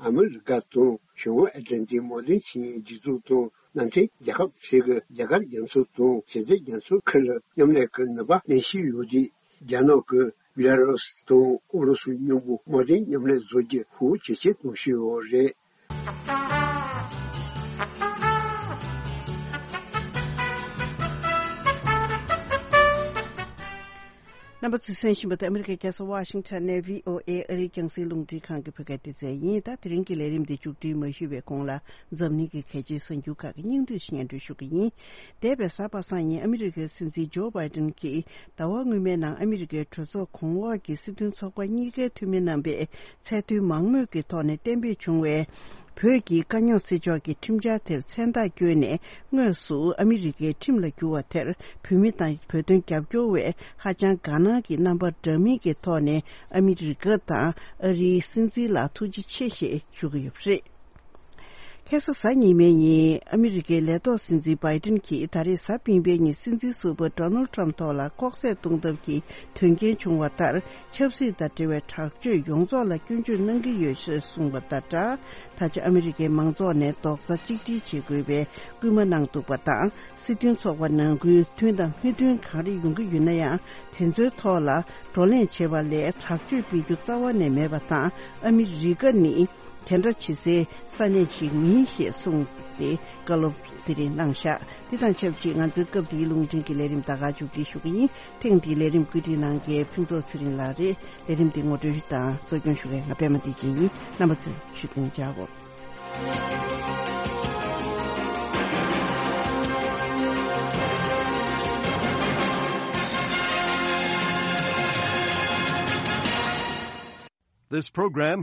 ཨ་མི་རི་ཀ་དང་བྱང་ཨ་ཊ་ལན་ཊིག་དམག་དོན་ཆིངས་ཡིག་སྒྲིག་འཛུགས་དང་མནའ་མཐུན་རྒྱལ་ཁབ་ཚོས་ཀྱི་རྒྱ་གར་རྒྱ་མཚོ་དང་ཞི་བདེ་རྒྱ་མཚོ་ཁུལ་ལ་མཉམ་ལས་ཀྱི་ནུས་པ་ལེན་བཞིན་ཡོད་དུས། རྒྱ་ནག་གིས་བི་ལ་རུ་སི་དང་ཨུ་རུ་སུ་མཉམ་པོ་དམག་དོན་མཉམ་ལས་བཟོ་རྒྱུ་ཤུགས་ཇེ་ཆེར་གཏོང་བཞིན་ཡོད་རེད། རྣམ་པ་ཚོས་གསན་བཞིན་པ་དེ་ཨ་མི་རི་ཀའི་རྒྱལ་ས་ཝ་ཤིང་ཊོན་ནས་བྷི་ཨོ་ཨེ་ཨ་རིའི་རྒྱང་སྲིང་རླུང་འཕྲིན་ཁང་གི་བོད་སྐད་སྡེ་ཚན་ཡིན། ད་དེ་རིང་གི་ལས་རིམ་འདི་མཇུག་སྒྲིལ་མ་ཞུས་པའི་གོང་ལ། འཛམ་གླིང་གི་གལ་ཆེའི་གསར་འགྱུར་ཁག་གི་སྙིང་བསྡུས་སྙན་སྒྲོན་ཞུ་གི་ཡིན། འདས་པའི་གཟའ་པ་སངས་ཉིན་ཨ་མི་རི་ཀའི་སྲིད་འཛིན་ཇོ་བྷའི་ཏིན་གྱིས་ཟླ་བ་སྔོན་མའི་ནང་ཨ་མི་རི་ཀའི་གྲོས་ཚོགས་གོང་འོག་གི་སྲིད་དོན་ཚོགས་པ་གཉིས་ཀའི་འཐུས་མི་རྣམ་པས་ཚད་མཐོའི་མང་མོས་ཀྱི་ཐོག་ནས་གཏན་འབེབས་བྱུང་བའི་བོད་ཀྱི་དཀའ་རྙོག་སེལ་ཕྱོགས་ཀྱི་ཁྲིམས་འཆར་དེར་མཚན་རྟགས་བསྐྱོན་ནས་དངོས་སུ་ཨ་མི་རི་ཀའི་ཁྲིམས་ལ་བསྒྱུར་བ་དེར་བོད་མི་དང་བོད་དོན་རྒྱབ་སྐྱོར་བས་ཧ་ཅང་དགའ་སྣང་གི་རྣམ་པ་འདྲ་མིན་གྱི་ཐོག་ནས་ཨ་མི་རི་ཀ་དང་ཨ་རིའི་སྲིད་འཛིན་ལ་ཐུགས་རྗེ་ཆེ་ཞེས་ཞུ་གི་ཡོད་པ་རེད། ཁ་སང་གཟའ་ཉི་མའི་ཉིན་ཨ་མི་རི་ཀའི་ལས་ཐོག་སྲིད་འཛིན་བྷའི་ཏིན་གྱིས་ད་རེས་གཟའ་སྤེན་པའི་ཉིན་སྲིད་འཛིན་ཟུར་པ་ཌོ་ནལ་ཊམ་ཐོག་ལ་ལྐོག་བསད་གཏོང་ཐབས་ཀྱི་དོན་རྐྱེན་བྱུང་བ་ལྟར། ཆབ་སྲིད་དང་འབྲེལ་བའི་དྲག་སྤྱོད་ཡོངས་རྫོགས་ལ་སྐྱོན་བརྗོད་གནང་གི་ཡོད་ཞེས་གསུངས་པ་དང་སྦྲགས། ད་ཆ་ཨ་མི་རི་ཀའི་མང་ཚོགས་ནས་རྡོག་རྩ་གཅིག་སྒྲིལ་བྱེད་དགོས་པའི་སྐུལ་མ་གནང་འདུག་པ་དང་། སྲིད་དོན་ཚོགས་པ་ནང་ཁུལ་མཐུན་དང་མི་མཐུན་གང་རེ་ཡོང་གི་ཡོད་ན་ཡང་། དེ་ཚོའི་ཐོག་ལ་བགྲོ་གླེང་བྱེད་པ་ལས་དྲག་སྤྱོད་སྤེལ་རྒྱུ་རྩ་བ་ནས་མེད་པ་དང་། ཨ་མི་རི་ཀ་ནི་དེ་འདྲ་བྱེད་སའི་ས་གནས་ཤིག་མིན་ཞེས་གསུངས་ཏེ། བཀའ་སློབ་དེ་རིང་གནང་བཞག་དེ་དང་ཆབས་ཅིག་ང་ཚོའི་སྐབས་འདིའི་རླུང་འཕྲིན་གྱི་ལས་རིམ་ད་ག་མཇུག་སྒྲིལ་ཞུ་གི་ཡིན། ཐེངས་འདིའི་ལས་རིམ་བཀོད་སྒྲིག་གནང་མཁན་ཕུན་ཚོགས་ཚེ་རིང་ལགས་རེད། ལས་རིམ་འདི་ངོ་སྤྲོད་དང་གཙོ་སྐྱོང་ཞུ་མཁན་ང་པད་མ་བདེ་ཆེན་ཡིན། རྣམ་པ་ཚོས་བཞུགས་གདན་འཇགས་གོ། This program